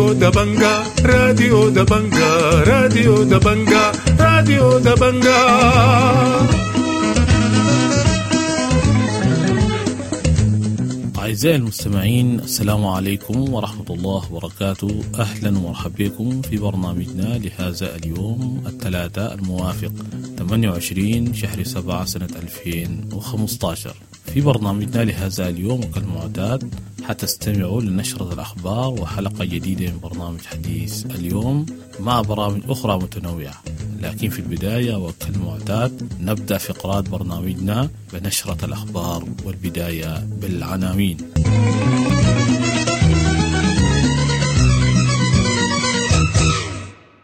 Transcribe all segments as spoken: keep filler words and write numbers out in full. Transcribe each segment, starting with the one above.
راديو دبنجا راديو دبنجا راديو دبنجا راديو دبنجا. أعزائي المستمعين، السلام عليكم ورحمة الله وبركاته. أهلا ومرحبا بكم في برنامجنا لهذا اليوم الثلاثاء الموافق ثمانية وعشرين شهر سبعة سنة ألفين وخمسة عشر. في برنامجنا لهذا اليوم وكالمعتاد حتستمعوا لنشرة الأخبار وحلقة جديدة من برنامج حديث اليوم مع برامج أخرى متنوعة، لكن في البداية وكالمعتاد نبدأ فقرات برنامجنا بنشرة الأخبار والبداية بالعناوين.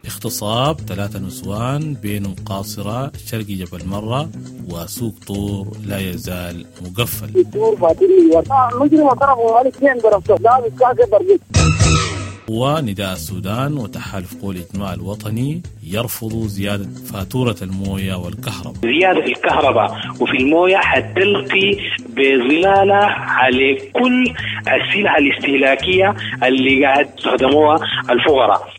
اغتصاب ثلاثة نسوان بينهم قاصرة شرقي جبل مرة، وسوق طور لا يزال مقفل. ونداء السودان وتحالف قوى الإجماع الوطني يرفض زيادة فاتورة الموية والكهرباء. زيادة في الكهرباء وفي الموية حتلقي بظلالة على كل السلع الاستهلاكية اللي قاعد يستخدموها الفقراء.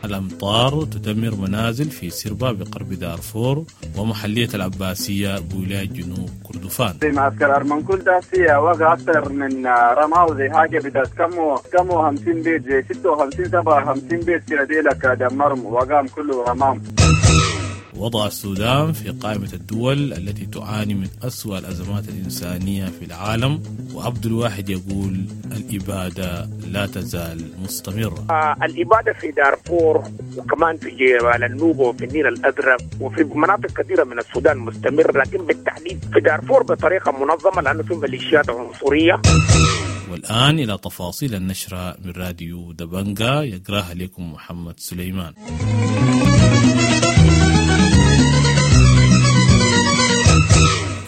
الأمطار تدمر منازل في سربا بقرب دارفور ومحلية العباسية بولاية جنوب كردفان. في معسكر أرمنكول ده في وقع أكثر من رماو زي حاجة بتاعت كم كم وخمسين بيت زي ستة وخمسين سبعة وخمسين بيت كده ديلك دمرهم وقام كله رمام. وضع السودان في قائمة الدول التي تعاني من أسوأ الأزمات الإنسانية في العالم، وعبد الواحد يقول الإبادة لا تزال مستمرة. آه الإبادة في دارفور وكمان في جبال النوبة وفي النيل الأزرق وفي مناطق كثيرة من السودان مستمر، لكن بالتحديد في دارفور بطريقة منظمة لأنه في ميليشيات عنصرية. والآن إلى تفاصيل النشرة من راديو دبنجا يقراها لكم محمد سليمان.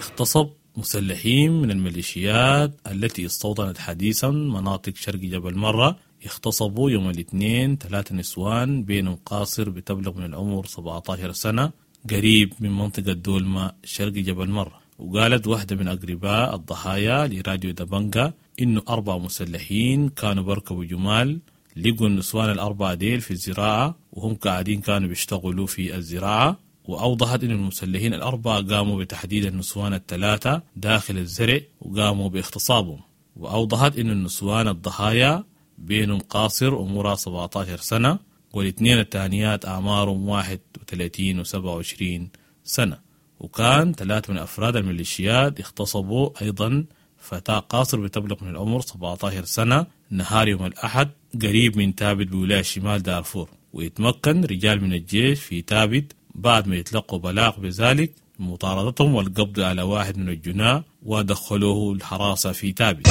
اغتصب مسلحين من الميليشيات التي استوطنت حديثا مناطق شرق جبل مرة اغتصبوا يوم الاثنين ثلاثة نسوان بينهم قاصر بتبلغ من العمر سبعة عشر سنة قريب من منطقة دولما شرق جبل مرة. وقالت واحدة من أقرباء الضحايا لراديو دبنجا إنه أربع مسلحين كانوا بركبوا جمال، لقوا النسوان الأربعة ديل في الزراعة وهم قاعدين كانوا بيشتغلوا في الزراعة. وأوضحت أن المسلحين الأربعة قاموا بتحديد النسوان الثلاثة داخل الزرع وقاموا باغتصابهم. وأوضحت أن النسوان الضحايا بينهم قاصر عمرها سبعة عشر سنة والاثنين الثانيات أعمارهم واحد وثلاثين وسبعة وعشرين سنة. وكان ثلاثة من أفراد الميليشيات اغتصبوا أيضا فتاة قاصر بتبلغ من العمر سبعة عشر سنة نهار يوم الأحد قريب من تابت بولاية شمال دارفور. ويتمكن رجال من الجيش في تابت بعد ما يتلقوا بلاغ بذلك مطاردتهم والقبض على واحد من الجناة ودخلوه الحراسة في تابت.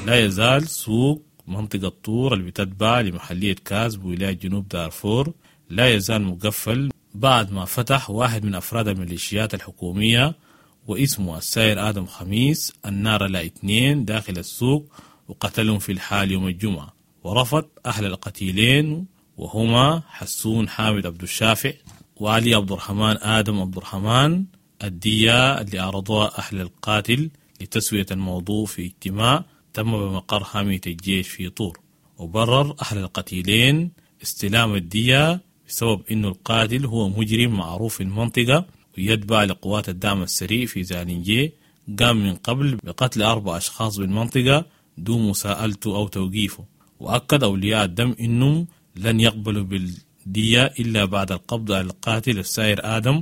لا يزال سوق منطقة طور اللي بتتبع لمحلية كاز بولاية جنوب دارفور لا يزال مقفل بعد ما فتح واحد من أفراد الميليشيات الحكومية واسمه السائر آدم خميس النار لا اثنين داخل السوق وقتلهم في الحال يوم الجمعة. ورفض أهل القتيلين وهما حسون حامد عبد الشافع وعلي عبد الرحمن آدم عبد الرحمن الدية اللي عرضوها أهل القاتل لتسوية الموضوع في اجتماع تم بمقر حامية الجيش في طور. وبرر أهل القتيلين استلام الدية بسبب أنه القاتل هو مجرم معروف في المنطقة ويتبع لقوات الدعم السريع في زالنجي، قام من قبل بقتل أربع أشخاص بالمنطقة دون مساءلته أو توقيفه. وأكد أولياء الدم أنهم لن يقبلوا بال دية إلا بعد القبض على القاتل السائر آدم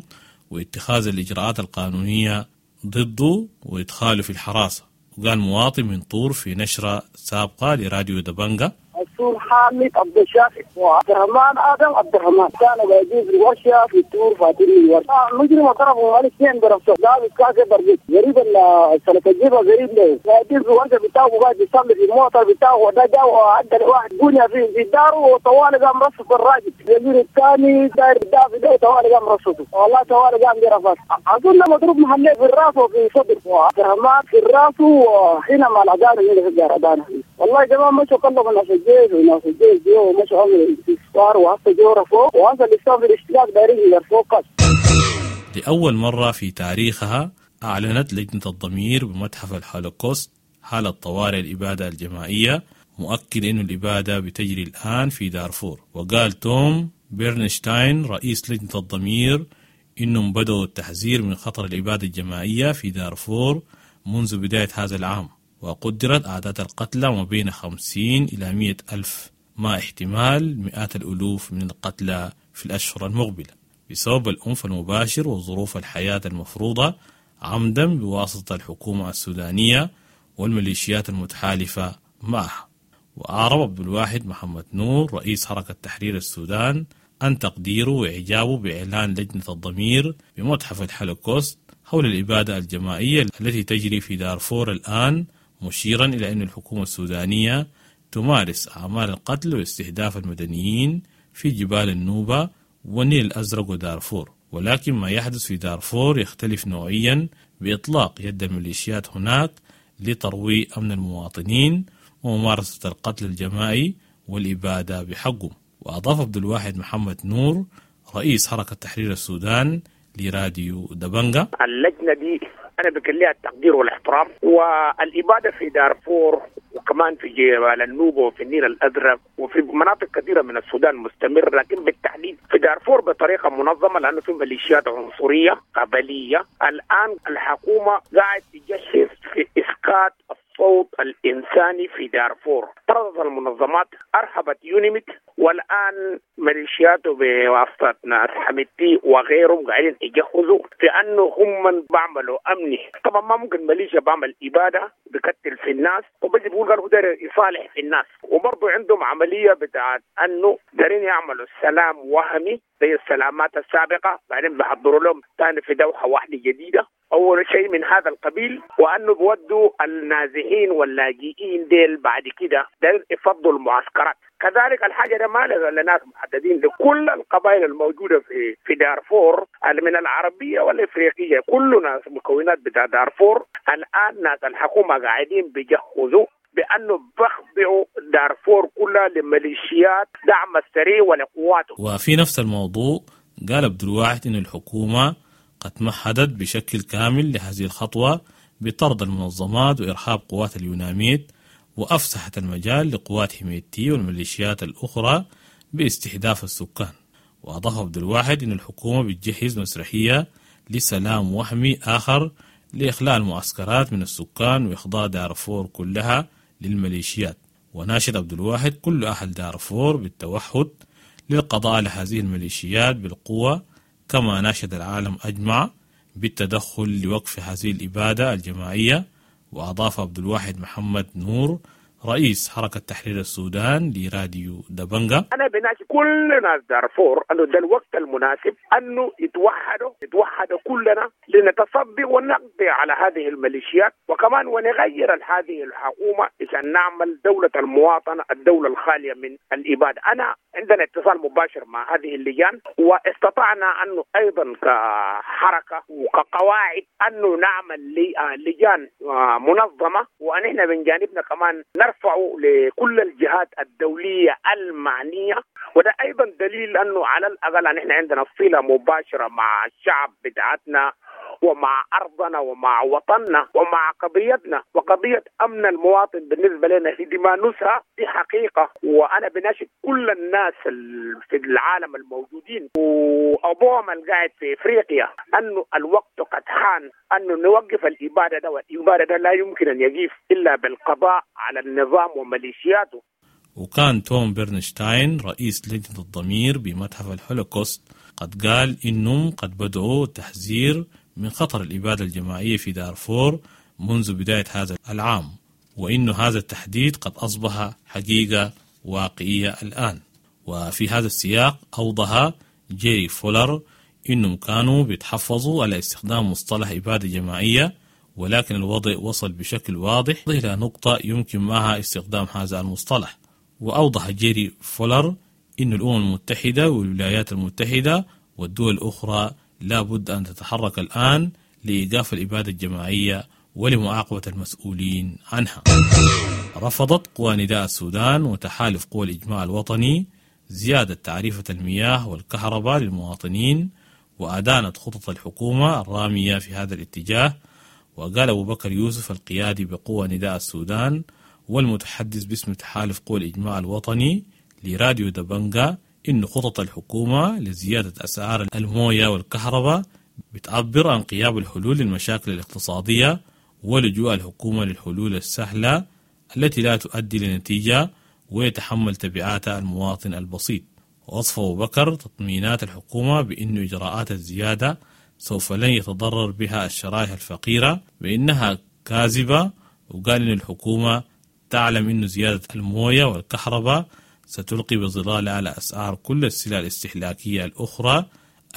واتخاذ الإجراءات القانونية ضده وإدخاله في الحراسة. وقال مواطن من طور في نشرة سابقة لراديو دبنجا: السور حامد عبد الشافع وعبد الرحمن ادم عبد الرحمن كانوا قاعدين في الورشه في التور فاتين الورشه. المجرم ضربوا الاثنين براسه لابس كاسه برجيت قريب السلك الجيبه قريب له قاعدين في الورشه بتاعه وقاعد يصلي في الموتر بتاعه وده جا وعدى واحد بنيه في في داره وطوال قام رصف الراجل اليمين الثاني داير دافي ده طوال قام رصفه والله طوال قام جرفات اظن مضروب محلي في الراس وفي صدر وعبد الرحمن في الراس وحين مع العداله هنا في الجردانه. والله يا جماعه مشوا كلهم ناس الجيش وناس الجيش جو مشوا عملوا استفسار وهسه جو رفوق وهسه لسه في الاشتراك دايرين يرفوق. لأول مرة في تاريخها أعلنت لجنة الضمير بمتحف الهولوكوست حالة طوارئ الإبادة الجماعية مؤكد أن الإبادة بتجري الآن في دارفور. وقال توم بيرنشتاين رئيس لجنة الضمير إنهم بدأوا التحذير من خطر الإبادة الجماعية في دارفور منذ بداية هذا العام، وقدرت أعداد القتلى ما بين خمسين إلى مئة ألف، مع احتمال مئات الألوف من القتلى في الأشهر المقبلة بسبب العنف المباشر وظروف الحياة المفروضة عمدا بواسطة الحكومة السودانية والميليشيات المتحالفة معها. وأعرب عبد الواحد محمد نور رئيس حركة تحرير السودان عن تقديره وإعجابه بإعلان لجنة الضمير بمتحف الهولوكوست حول الإبادة الجماعية التي تجري في دارفور الآن، مشيرا إلى أن الحكومة السودانية تمارس أعمال القتل واستهداف المدنيين في جبال النوبة والنيل الأزرق ودارفور، ولكن ما يحدث في دارفور يختلف نوعيا بإطلاق يد الميليشيات هناك لترويع أمن المواطنين وممارسة القتل الجماعي والإبادة بحقه. وأضاف عبد الواحد محمد نور رئيس حركة تحرير السودان لراديو دبنجا: اللجنة دي أنا بكليها التقدير والاحترام، والإبادة في دارفور وكمان في جبال النوبة وفي النيل الأزرق وفي مناطق كثيرة من السودان مستمر، لكن بالتحديد في دارفور بطريقة منظمة لأنه في ميليشيات عنصرية قبلية. الآن الحكومة قاعد تجهز في إسقاط الصوت الإنساني في دارفور، طردت المنظمات، أرهبت يونيميت، والآن ميليشياته بواسطة ناس حميدتي وغيرهم قاعدين يجهزوا في أنه هم بعملوا أمني. طبعا ما ممكن ميليشيا بعمل إبادة بكتل في الناس وبجي بيقول قالوا داير يصالح في الناس، وبرضه عندهم عملية بتاعت أنه دارين يعملوا سلام وهمي زي السلامات السابقة، بعدين بيحضروا لهم ثاني في دوحة واحدة جديدة أول شيء من هذا القبيل، وأنه بودوا النازحين واللاجئين ديل بعد كده داير يفضوا المعسكرات. كذلك الحاجة ده ما لناس محددين، لكل القبائل الموجودة في في دارفور من العربية والإفريقية، كل ناس مكونات بتاع دارفور. الآن ناس الحكومة قاعدين بيجهزوا بأنه بخضعوا دارفور كلها لميليشيات دعم السريع ولقواته. وفي نفس الموضوع قال عبد الواحد إن الحكومة قد مهدت بشكل كامل لهذه الخطوة بطرد المنظمات وإرهاب قوات اليوناميد، وأفسحت المجال لقوات حميدتي والميليشيات الأخرى باستهداف السكان. وأضاف عبد الواحد أن الحكومة بتجهز مسرحية لسلام وهمي آخر لإخلاء المعسكرات من السكان وإخضاع دارفور كلها للميليشيات. وناشد عبد الواحد كل أهل دارفور بالتوحد للقضاء على هذه الميليشيات بالقوة، كما ناشد العالم أجمع بالتدخل لوقف هذه الإبادة الجماعية. وأضاف عبد الواحد محمد نور رئيس حركة تحرير السودان لراديو دبنجا: أنا بناشد كل ناس دارفور أنه ده الوقت المناسب أنه يتوحدوا يتوحدوا كلنا لنتصدي ونقضي على هذه الميليشيات، وكمان ونغير هذه الحكومة عشان نعمل دولة المواطنة، الدولة الخالية من الإبادة. أنا عندنا اتصال مباشر مع هذه اللجان، واستطعنا أنه أيضا كحركة وكقواعد أنه نعمل لجان منظمة، ونحن من جانبنا كمان نرفع لكل الجهات الدولية المعنية. وده أيضا دليل أنه على الأقل نحن عندنا صلة مباشرة مع الشعب بتاعتنا ومع أرضنا ومع وطننا ومع قضيتنا، وقضية أمن المواطن بالنسبة لنا هي دي ما نسها، دي حقيقة. وأنا بناشد كل الناس في العالم الموجودين وأبوهم القاعد في إفريقيا أنه الوقت قد حان أنه نوقف الإبادة ده، والإبادة ده لا يمكن أن يقف إلا بالقضاء على النظام وميليشياته. وكان توم برنشتاين رئيس لجنة الضمير بمتحف الهولوكوست قد قال إنهم قد بدأوا التحذير من خطر الإبادة الجماعية في دارفور منذ بداية هذا العام، وإن هذا التحديد قد أصبح حقيقة واقعية الآن. وفي هذا السياق أوضح جيري فولر إنهم كانوا بيتحفظوا على استخدام مصطلح إبادة جماعية، ولكن الوضع وصل بشكل واضح إلى نقطة يمكن معها استخدام هذا المصطلح. وأوضح جيري فولر إن الأمم المتحدة والولايات المتحدة والدول الأخرى لا بد أن تتحرك الآن لإيقاف الإبادة الجماعية ولمعاقبة المسؤولين عنها. رفضت قوى نداء السودان وتحالف قوى الإجماع الوطني زيادة تعريفة المياه والكهرباء للمواطنين، وأدانت خطط الحكومة الرامية في هذا الاتجاه. وقال أبو بكر يوسف القيادي بقوى نداء السودان والمتحدث باسم تحالف قوى الإجماع الوطني لراديو دبنجا إن خطط الحكومة لزيادة أسعار الموية والكهرباء بتعبر عن غياب الحلول للمشاكل الاقتصادية ولجوء الحكومة للحلول السهلة التي لا تؤدي لنتيجة ويتحمل تبعاتها المواطن البسيط. ووصف أبو بكر تطمينات الحكومة بأن إجراءات الزيادة سوف لن يتضرر بها الشرائح الفقيرة بأنها كاذبة، وقال إن الحكومة تعلم أن زيادة الموية والكهرباء ستلقي بظلال على أسعار كل السلع الاستهلاكية الأخرى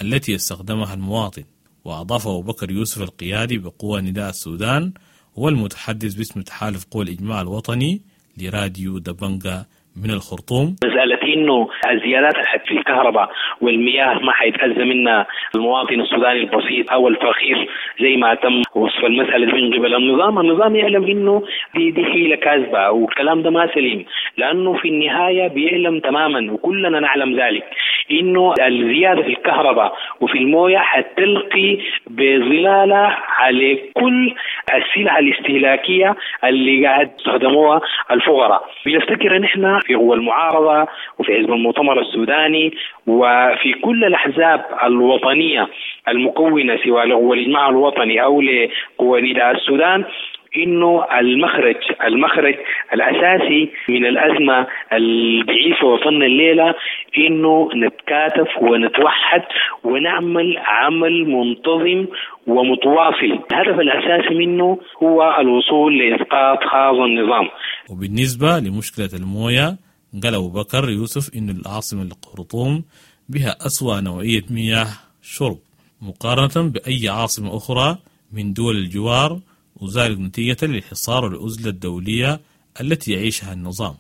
التي يستخدمها المواطن. وأضاف أبو بكر يوسف القيادي بقوى نداء السودان والمتحدث باسم تحالف قوى الإجماع الوطني لراديو دبنجا من الخرطوم: مسألة إنه الزيادات في الكهرباء والمياه ما حيتأذى منها المواطن السوداني البسيط أو الفقير زي ما تم وصف المسألة من قبل النظام. النظام يعلم إنه دي, دي حيلة كاذبة والكلام ده ما سليم، لأنه في النهاية بيعلم تماما وكلنا نعلم ذلك إنه الزيادة في الكهرباء وفي الموية حتلقي بظلالة على كل السلع الاستهلاكية اللي قاعد يستخدموها الفقراء. بنفتكر إن إحنا في قوى المعارضة وفي حزب المؤتمر السوداني وفي كل الأحزاب الوطنية المكونة سواء لقوى الإجماع الوطني أو لقوى نداء السودان إنه المخرج المخرج الأساسي من الأزمة اللي بيعيشها وطننا الليلة إنه نتكاتف ونتوحد ونعمل عمل منتظم ومتواصل. الهدف الأساسي منه هو الوصول لإسقاط هذا النظام. وبالنسبة لمشكلة الموية، قال أبو بكر يوسف إن العاصمة الخرطوم بها أسوأ نوعية مياه شرب مقارنة بأي عاصمة أخرى من دول الجوار، وذلك نتيجة للحصار والعزلة الدولية التي يعيشها النظام.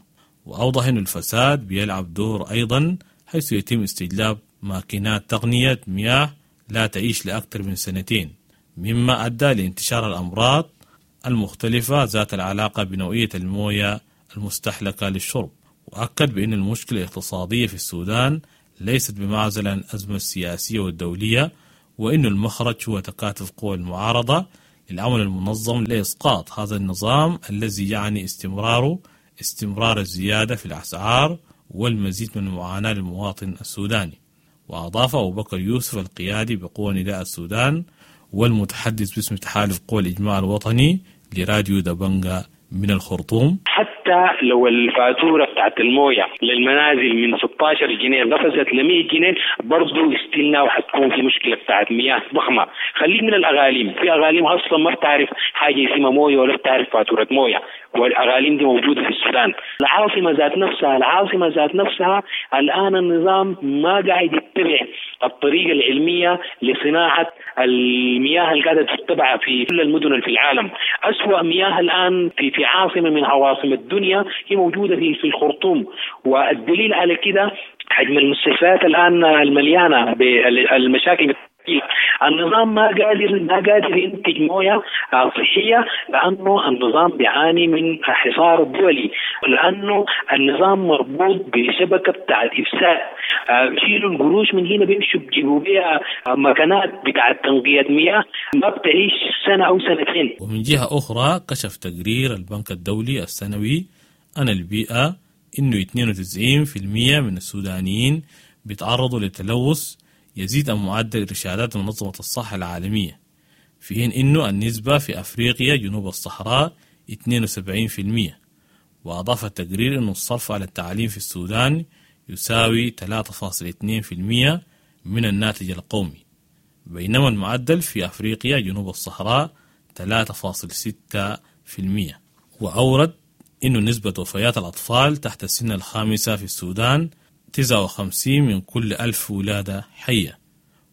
وأوضح أن الفساد بيلعب دور أيضا، حيث يتم استجلاب ماكينات تقنية مياه لا تعيش لأكثر من سنتين، مما أدى لانتشار الأمراض المختلفة ذات العلاقة بنوعية الموية المستهلكة للشرب. وأكد بأن المشكلة الاقتصادية في السودان ليست بمعزل عن الأزمة السياسية والدولية، وأن المخرج هو تكاتف قوى المعارضة للعمل المنظم لإسقاط هذا النظام الذي يعني استمراره استمرار الزيادة في الأسعار والمزيد من المعاناة للمواطن السوداني. وأضاف أبو بكر يوسف القيادي بقوى نداء السودان والمتحدث باسم تحالف قوى الإجماع الوطني لراديو دبنجا من الخرطوم: حتى لو الفاتورة بتاعت الموية للمنازل من ستة عشر جنيه قفزت ل مئة جنيه برضو استلنا وحتكون في مشكلة بتاعت مياه ضخمة. خليك من الأغاليم، في أغاليم أصلا ما بتعرف حاجة اسمها موية ولا بتعرف فاتورة موية، والأغاليم دي موجودة في السودان. العاصمة ذات نفسها العاصمة ذات نفسها الآن النظام ما قاعد يتبع الطريقة العلمية لصناعة المياه اللي قاعدة تتبع في كل المدن في العالم. أسوأ مياه الآن في في عاصمة من عواصم الدنيا هي موجودة في في الخرطوم، والدليل على كده حجم المستشفيات الآن المليانة بالمشاكل. النظام ما قادر ما قادر ينتج مويه صحيه لانه النظام بيعاني من حصار الدولي، لانه النظام مربوط بشبكه بتاعت افساد. بيشيلوا القروش من هنا بيمشوا بيجيبوا بيها مكانات بتاعت تنقيه مياه ما بتعيش سنه او سنتين. ومن جهه اخرى، كشف تقرير البنك الدولي السنوي عن البيئه انه اثنين وتسعين بالمئة من السودانيين بيتعرضوا لتلوث يزيد عن معدل إرشادات منظمة الصحة العالمية، في حين إنه النسبة في أفريقيا جنوب الصحراء اثنين وسبعين بالمئة. وأضاف التقرير أن الصرف على التعليم في السودان يساوي ثلاثة فاصلة اثنين بالمئة من الناتج القومي، بينما المعدل في أفريقيا جنوب الصحراء ثلاثة فاصلة ستة بالمئة. وأورد أن نسبة وفيات الأطفال تحت السن الخامسة في السودان تسعة وخمسين من كل ألف ولادة حية،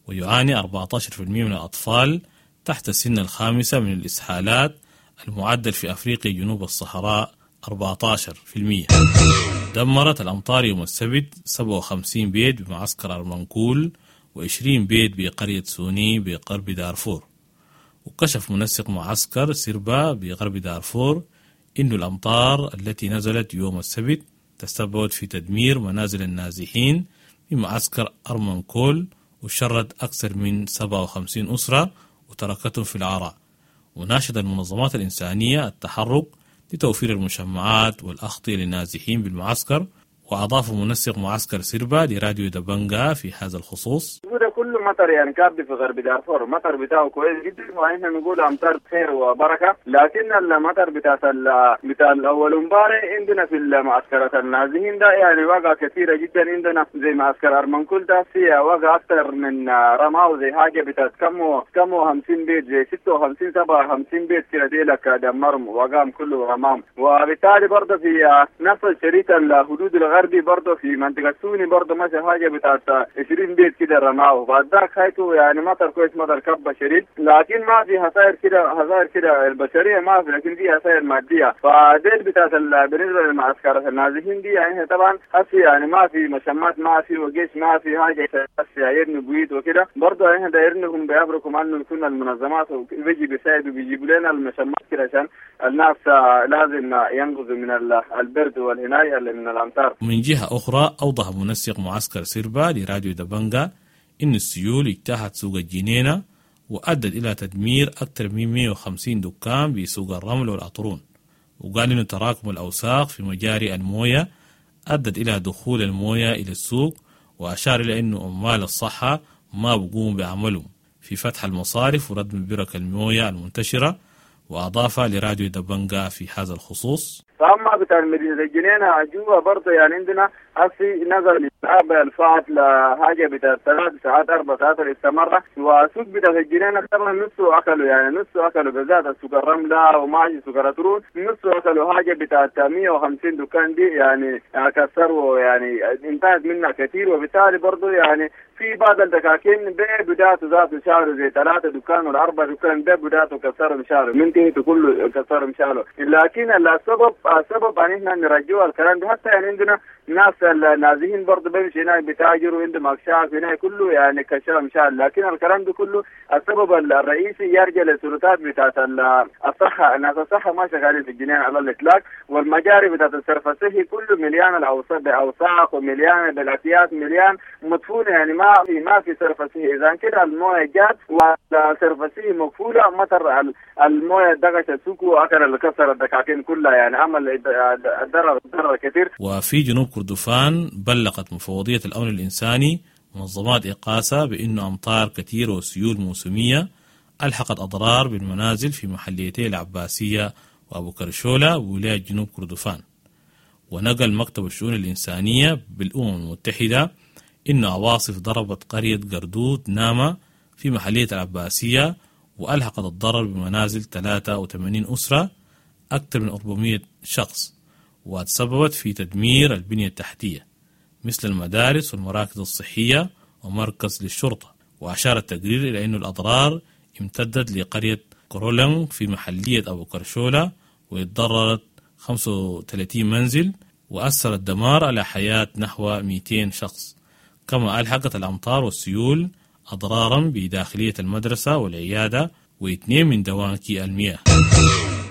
ويعاني أربعة عشر بالمئة من الأطفال تحت السن الخامسة من الإسهالات، المعدل في أفريقيا جنوب الصحراء أربعة عشر بالمئة. دمرت الأمطار يوم السبت سبعة وخمسين بيت بمعسكر أرمنكول وعشرين بيت بقرية سوني بغرب دارفور. وكشف منسق معسكر سيربا بغرب دارفور إن الأمطار التي نزلت يوم السبت تسببت في تدمير منازل النازحين في معسكر أرمنكول وشرد أكثر من سبعة وخمسين أسرة وتركتهم في العراء. وناشد المنظمات الإنسانية التحرك لتوفير المشمعات والأغطية للنازحين بالمعسكر. وأضاف منسق معسكر سيربا لراديو دبنجا في هذا الخصوص: ده كله مطر يعني كابد في غرب دارفور، مطر بتاعه كويس جدا ونحن نقول امطار خير وبركه، لكن المطر بتاع بتاع الاول امبارح عندنا في المعسكرات النازحين ده يعني وقع كثيره جدا عندنا، زي معسكر ارمنكل ده فيها وقع اكثر من رماو زي حاجه بتاعت كم كم وخمسين بيت، زي ستة وخمسين سبعة وخمسين بيت كده ديلك دمرهم وقام كله رمام. وبالتالي برضه في نفس الشريط الحدود الغربي برضه في منطقه سوني برضه ماشي حاجه بتاعت عشرين بيت كده رماو. بعد ذاك حيته يعني مطر كويس، مطر كبه شديد، لكن ما في خسائر كده، خسائر كده البشريه ما في، لكن في خسائر ماديه. فديل بتاعت بالنسبه للمعسكرات النازحين دي يعني طبعا هسي يعني ما في مشمات، ما في وجيش، ما في حاجه، هسي يبنوا بيوت وكده. برضه احنا دايرينهم بيبركم انه يكون المنظمات بيجي بيساعدوا بيجيبوا لنا المشمات كده عشان الناس لازم ينقذوا من البرد والهنايه اللي من الامطار. من جهه اخرى اوضح منسق معسكر سيربا لراديو دبنجا إن السيول اجتاحت سوق الجنينة وأدت إلى تدمير أكثر من مئة وخمسين دكان بسوق الرمل والأطرون. وقال إن تراكم الأوساخ في مجاري الموية أدت إلى دخول الموية إلى السوق، وأشار إلى أن عمال الصحة ما بقوموا بعملهم في فتح المصارف وردم برك الموية المنتشرة. وأضاف لراديو دبنجا في هذا الخصوص: فأما بتاع المدينة الجنينة جوا برضه يعني عندنا هسي نزل الفات لحاجة بتاع ثلاث ساعات أربع ساعات اللي استمر، وسوق بتاع الجنينة طبعا نصه أكلوا، يعني نصه أكلوا بالذات سوق الرملة وماشي سوق الأترون نصه أكلوا حاجة بتاع مئة وخمسين دكان دي يعني كسروا، يعني انتهت منها كثير. وبالتالي برضه يعني في بعض الدكاكين بدايته ذاته شالوا زي ثلاثة دكان ولا أربع دكان بدايته كسروا شالوا من تهته كله كسروا شالوا. لكن السبب السبب ان احنا نرجوه الكلام ده، حتى يعني عندنا ناس النازحين برضه بيمشي هناك بتاجروا عندهم اكشاك هناك كله يعني كشرم شال، لكن الكلام ده كله السبب الرئيسي يرجع للسلطات بتاعت الصحة. الناس الصحة ما شغالين في الجنين على الإطلاق، والمجاري بتاعت الصرف الصحي كله مليان الأوساخ بأوساخ ومليان بالأكياس، مليان مدفون، يعني ما في ما في صرف صحي. إذا كده المويه جات والصرف الصحي مقفولة، مطر المويه دغش السوق وأكل اللي كسر الدكاكين كلها، يعني عمل الضرر ضرر كثير. وفي جنوب كردفان بلغت مفوضية الأمن الإنساني منظمات إقاسة بأن أمطار كثيرة وسيول موسمية ألحقت أضرار بالمنازل في محليتي العباسية وأبو كرشولة وولاية جنوب كردفان. ونقل مكتب الشؤون الإنسانية بالأمم المتحدة إن عواصف ضربت قرية قردود ناما في محلية العباسية وألحقت الضرر بمنازل ثلاثة وثمانين أسرة أكثر من أربعمئة شخص، وتسببت في تدمير البنية التحتية مثل المدارس والمراكز الصحية ومركز للشرطة. وأشار التقرير إلى أن الأضرار امتدت لقرية كورولنغ في محلية أبو كرشولة وتضررت خمسة وثلاثين منزل، وأثر الدمار على حياة نحو مئتين شخص. كما ألحقت الأمطار والسيول أضرارا بداخلية المدرسة والعيادة واثنين من دوانكي المياه.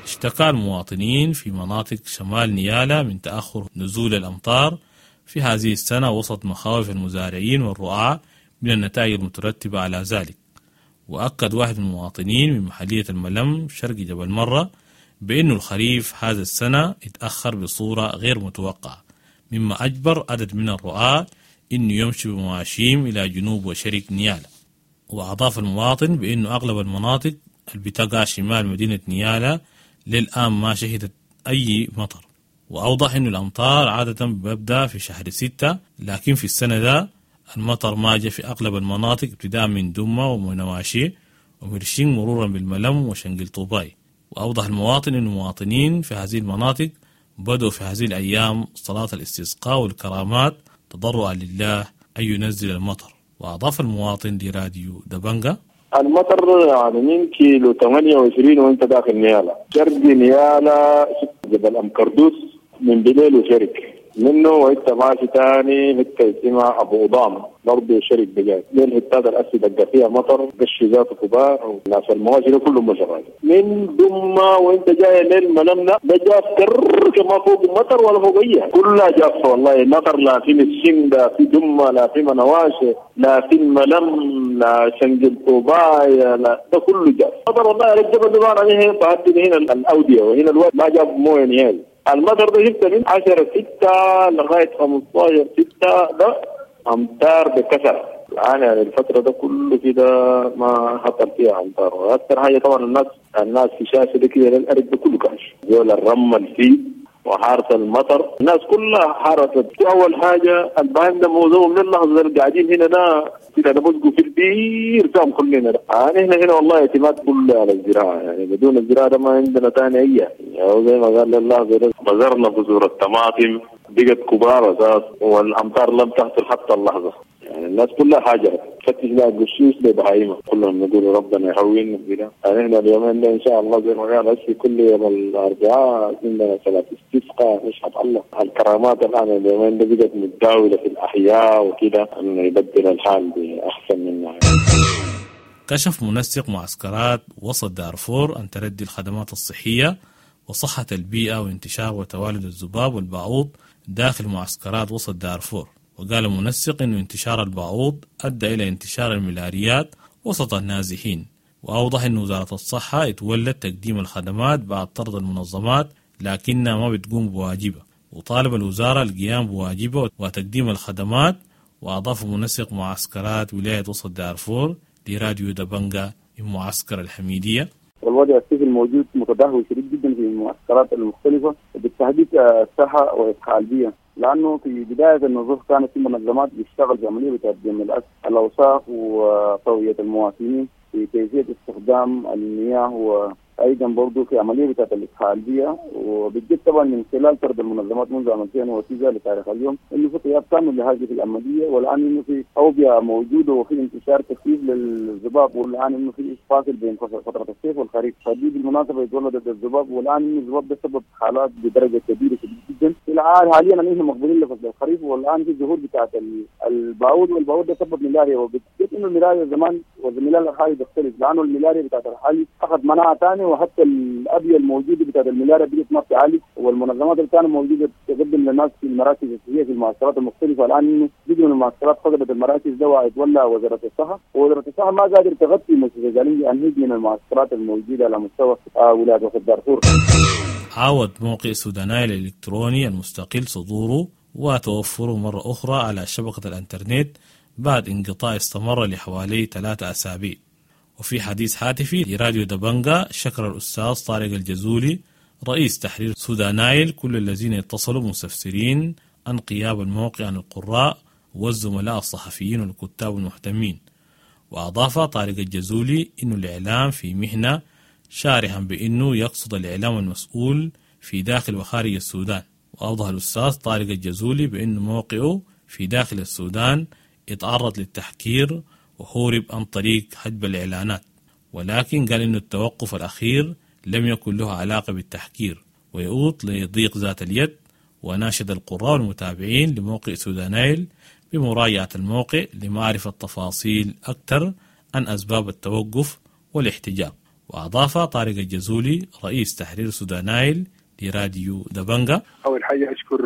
اشتكى المواطنين في مناطق شمال نيالا من تأخر نزول الأمطار في هذه السنة وسط مخاوف المزارعين والرعاة من النتائج المترتبة على ذلك. وأكد واحد من المواطنين من محلية الملم شرق جبل مرة بأن الخريف هذا السنة اتأخر بصورة غير متوقعة، مما أجبر عدد من الرعاة إنه يمشي بمواشيم إلى جنوب وشرق نيالا. وأضاف المواطن بأنه أغلب المناطق اللي بتقع شمال مدينة نيالا للآن ما شهدت أي مطر. وأوضح أن الأمطار عادة ببدأ في شهر ستة، لكن في السنة ده المطر ما جاء في أغلب المناطق ابتداء من دمة ومنواشي ومرشين مرورا بالملم وشنقل طوباي. وأوضح المواطن أن المواطنين في هذه المناطق بدأوا في هذه الأيام صلاة الاستسقاء والكرامات تضرعا لله أن ينزل المطر. وأضاف المواطن لراديو دبنجا: المطر يعني من كيلو ثمانية وعشرين وانت داخل نيالا، شرق نيالا جبل أم كردوس من بليل وشرق منه وانت ماشي تاني حتة اسمها ابو قضام برضه شرق بجاي. دي الحتات الاسي دق فيها مطر قش ذاته كبار وناس المواشي ده كلهم شغال من دمة وانت جاي ليل ملمنا ده جاف كر ما فوق مطر ولا فوق اي كلها جافة والله. مطر لا في مسين لا في دمه لا في منواشي لا في الملم لا شنقل طوبايا لا ده كله جاف مطر والله. الجبل ده عليه بعد هنا الاودية وهنا الواد ما جاب مويه نهائي. المطر ده جبت من عشرة ستة لغاية خمستاشر ستة ده أمطار بكثرة. الآن يعني الفترة ده كله كده ما حصل فيها أمطار. وأكثر حاجة طبعا الناس الناس في شاشة ده كده الأرض ده كله كاش زول الرمل فيه وحارة المطر الناس كلها حارت. أول حاجة الباهم ده موضوع من اللحظة اللي قاعدين هنا ده كده نبزقوا في البير تام كلنا ده. يعني هنا هنا والله اعتماد كله على الزراعة، يعني بدون الزراعة ده ما عندنا تاني أي يعني زي ما قال اللحظة ده بذرنا بذور الطماطم بقت كبار أساس والأمطار لم تحصل حتى اللحظة. يعني الناس كلها حاجة تفتش لها قشوش لبهايمة كلهم يقولوا ربنا يهون كده. يعني احنا اليومين ده ان شاء الله زي ما قال هسه كل يوم الاربعاء عندنا صلاة استسقاء نشهد الله. الكرامات الان اليومين ده بقت متداولة في الاحياء وكده انه يبدل الحال باحسن منها. كشف منسق معسكرات وسط دارفور أن تردي الخدمات الصحية وصحة البيئة وانتشار وتوالد الذباب والبعوض داخل معسكرات وسط دارفور. وقال المنسق أن انتشار البعوض أدى إلى انتشار الملاريات وسط النازحين. وأوضح أن وزارة الصحة اتولت تقديم الخدمات بعد طرد المنظمات لكنها ما بتقوم بواجبها، وطالب الوزارة القيام بواجبها وتقديم الخدمات. وأضاف منسق معسكرات ولاية وسط دارفور لراديو دبنجا من معسكر الحميدية: والوضع الصحي الموجود متدهور شديد جدا في المعسكرات المختلفة وبالتحديد الصحة وإصحاء البيئة، لأنه في بداية النظام كانت في منظمات بتشتغل في عملية بتقديم الأوساخ وتوعية المواطنين في كيفية استخدام المياه وأيضا برضه في عملية بتاعت الإصحاء البيئة. وبالجد طبعا من خلال طرد المنظمات منذ عام ألفين وتسعة لتاريخ اليوم إنه في غياب كامل لهذه العملية، والآن إنه في أوبئة موجودة وفي انتشار كثيف للذباب، والآن إنه في فاصل بين فترة الصيف والخريف، فدي بالمناسبة يتولد الذباب، والآن إنه الذباب ده سبب حالات بدرجة كبيرة جدا. الآن حاليا نحن مقبلين لفصل الخريف، والآن في ظهور بتاعت الباعوض، والباعوض ده سبب ملاريا، وبالجد إنه الملاريا زمان والملاريا الحالي بيختلف، لأنه الملاريا بتاعت الحالي أخذ مناعة ثانية، وحتى الأبية الموجودة بتاعت الملاريا بقت ما بتعالج، والمنظمات اللي كانت موجودة تقدم للناس في المراكز الصحية في المعسكرات المختلفة الآن إنه جزء من المعسكرات فقدت المراكز ده وتولى وزارة الصحة، ووزارة الصحة ما قادر تغطي مستشفى زالينجي أنهج من المعسكرات الموجودة على مستوى ولاية وسط دارفور. عاود موقع سودانايل الإلكتروني المستقل صدوره وتوفره مرة أخرى على شبكة الإنترنت بعد انقطاع استمر لحوالي ثلاثة أسابيع. وفي حديث هاتفي لراديو دبنجا شكر الأستاذ طارق الجزولي رئيس تحرير سودانايل كل الذين اتصلوا مستفسرين عن غياب الموقع عن القراء والزملاء الصحفيين والكتاب المهتمين. وأضاف طارق الجزولي أن الإعلام في مهنة، شارحا بأنه يقصد الإعلام المسؤول في داخل وخارج السودان. وأوضح الأستاذ طارق الجزولي بأن موقعه في داخل السودان اتعرض للتحكير وهرب عن طريق حجب الإعلانات، ولكن قال إنه التوقف الأخير لم يكن له علاقة بالتحكير ويؤوط لضيق ذات اليد. وناشد القراء والمتابعين لموقع سودانايل بمراجعة الموقع لمعرفة تفاصيل أكثر عن أسباب التوقف والاحتجاج. وأضاف طارق الجزولي رئيس تحرير سودانايل لراديو دبنجا: أول حاجة أشكر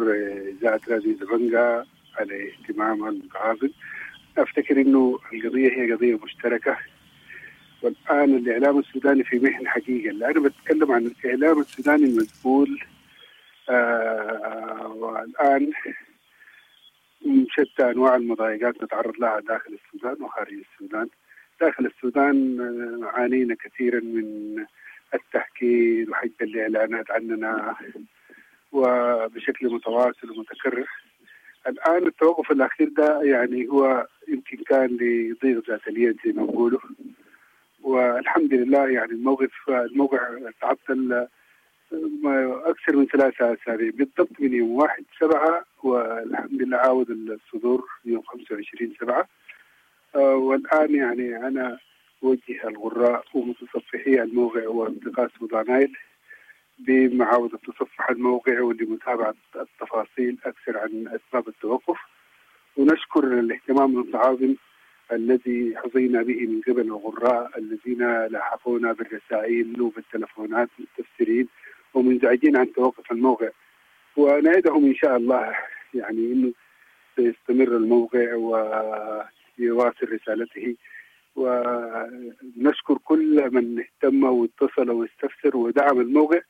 إذاعة راديو دبنجا على اهتمامها المتعاظم. أفتكر أنه القضية هي قضية مشتركة، والآن الإعلام السوداني في محن حقيقة. أنا بتكلم عن الإعلام السوداني المسؤول، آه والآن شتى أنواع المضايقات نتعرض لها داخل السودان وخارج السودان. داخل السودان عانينا كثيرا من التحكير وحجب الإعلانات عننا وبشكل متواصل ومتكرر. الآن التوقف الأخير ده يعني هو يمكن كان لضيق ذات اليد زي ما نقوله، والحمد لله يعني الموقف الموقع تعطل أكثر من ثلاثة أسابيع بالضبط من يوم واحد سبعة، والحمد لله عاود الصدور يوم خمسة وعشرين سبعة. والآن يعني أنا أوجه الغراء ومتصفحي الموقع وأصدقاء سودانايل بمعاودة تصفح الموقع ولمتابعة التفاصيل أكثر عن أسباب التوقف. ونشكر الاهتمام المتعاظم الذي حظينا به من قبل الغراء الذين لاحقونا بالرسائل وبالتلفونات مستفسرين ومنزعجين عن توقف الموقع، ونعدهم إن شاء الله يعني إنه سيستمر الموقع ويواصل رسالته. ونشكر كل من اهتم واتصل واستفسر ودعم الموقع،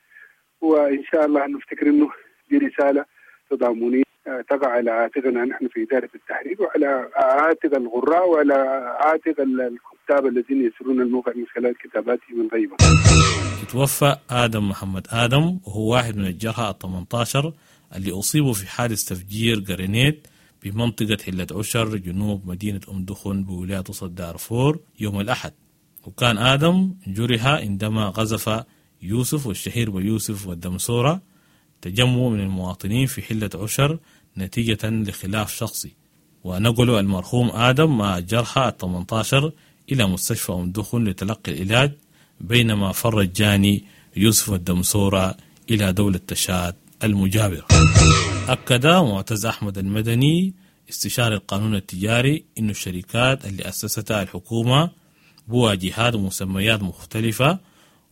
وإن شاء الله نفتكر إنه دي رسالة تضامنية تقع على عاتقنا نحن في إدارة التحرير، وعلى عاتق الغراء، وعلى عاتق الكتاب الذين يسرون الموقع من خلال كتاباتهم الغيبة. توفى آدم محمد آدم، وهو واحد من الجرحى الثمانية عشر اللي أصيبوا في حادث تفجير جرينيت بمنطقة حلة عشر جنوب مدينة أم دخن بولاية وسط دارفور يوم الأحد. وكان آدم جرح عندما غزف يوسف والشهير بيوسف والدمسورة تجمع من المواطنين في حلة عشر نتيجة لخلاف شخصي. ونقلوا المرحوم آدم مع الجرحى الثمانية عشر إلى مستشفى أم دخن لتلقي العلاج، بينما فر الجاني يوسف الدمسورة إلى دولة تشاد المجاورة. أكد معتز أحمد المدني استشاري القانون التجاري إن الشركات اللي أسستها الحكومة بواجهات ومسميات مختلفة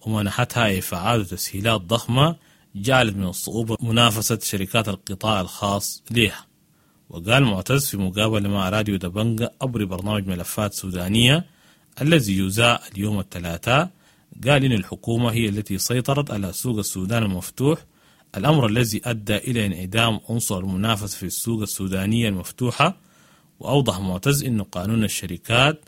ومنحتها إعفاءات وتسهيلات ضخمة جعلت من الصعوبة منافسة شركات القطاع الخاص لها. وقال معتز في مقابلة مع راديو دبنجة عبر برنامج ملفات سودانية الذي يذاع اليوم الثلاثاء، قال إن الحكومة هي التي سيطرت على سوق السودان المفتوح، الأمر الذي أدى إلى انعدام عنصر المنافسة في السوق السودانية المفتوحة. وأوضح معتز أن قانون الشركات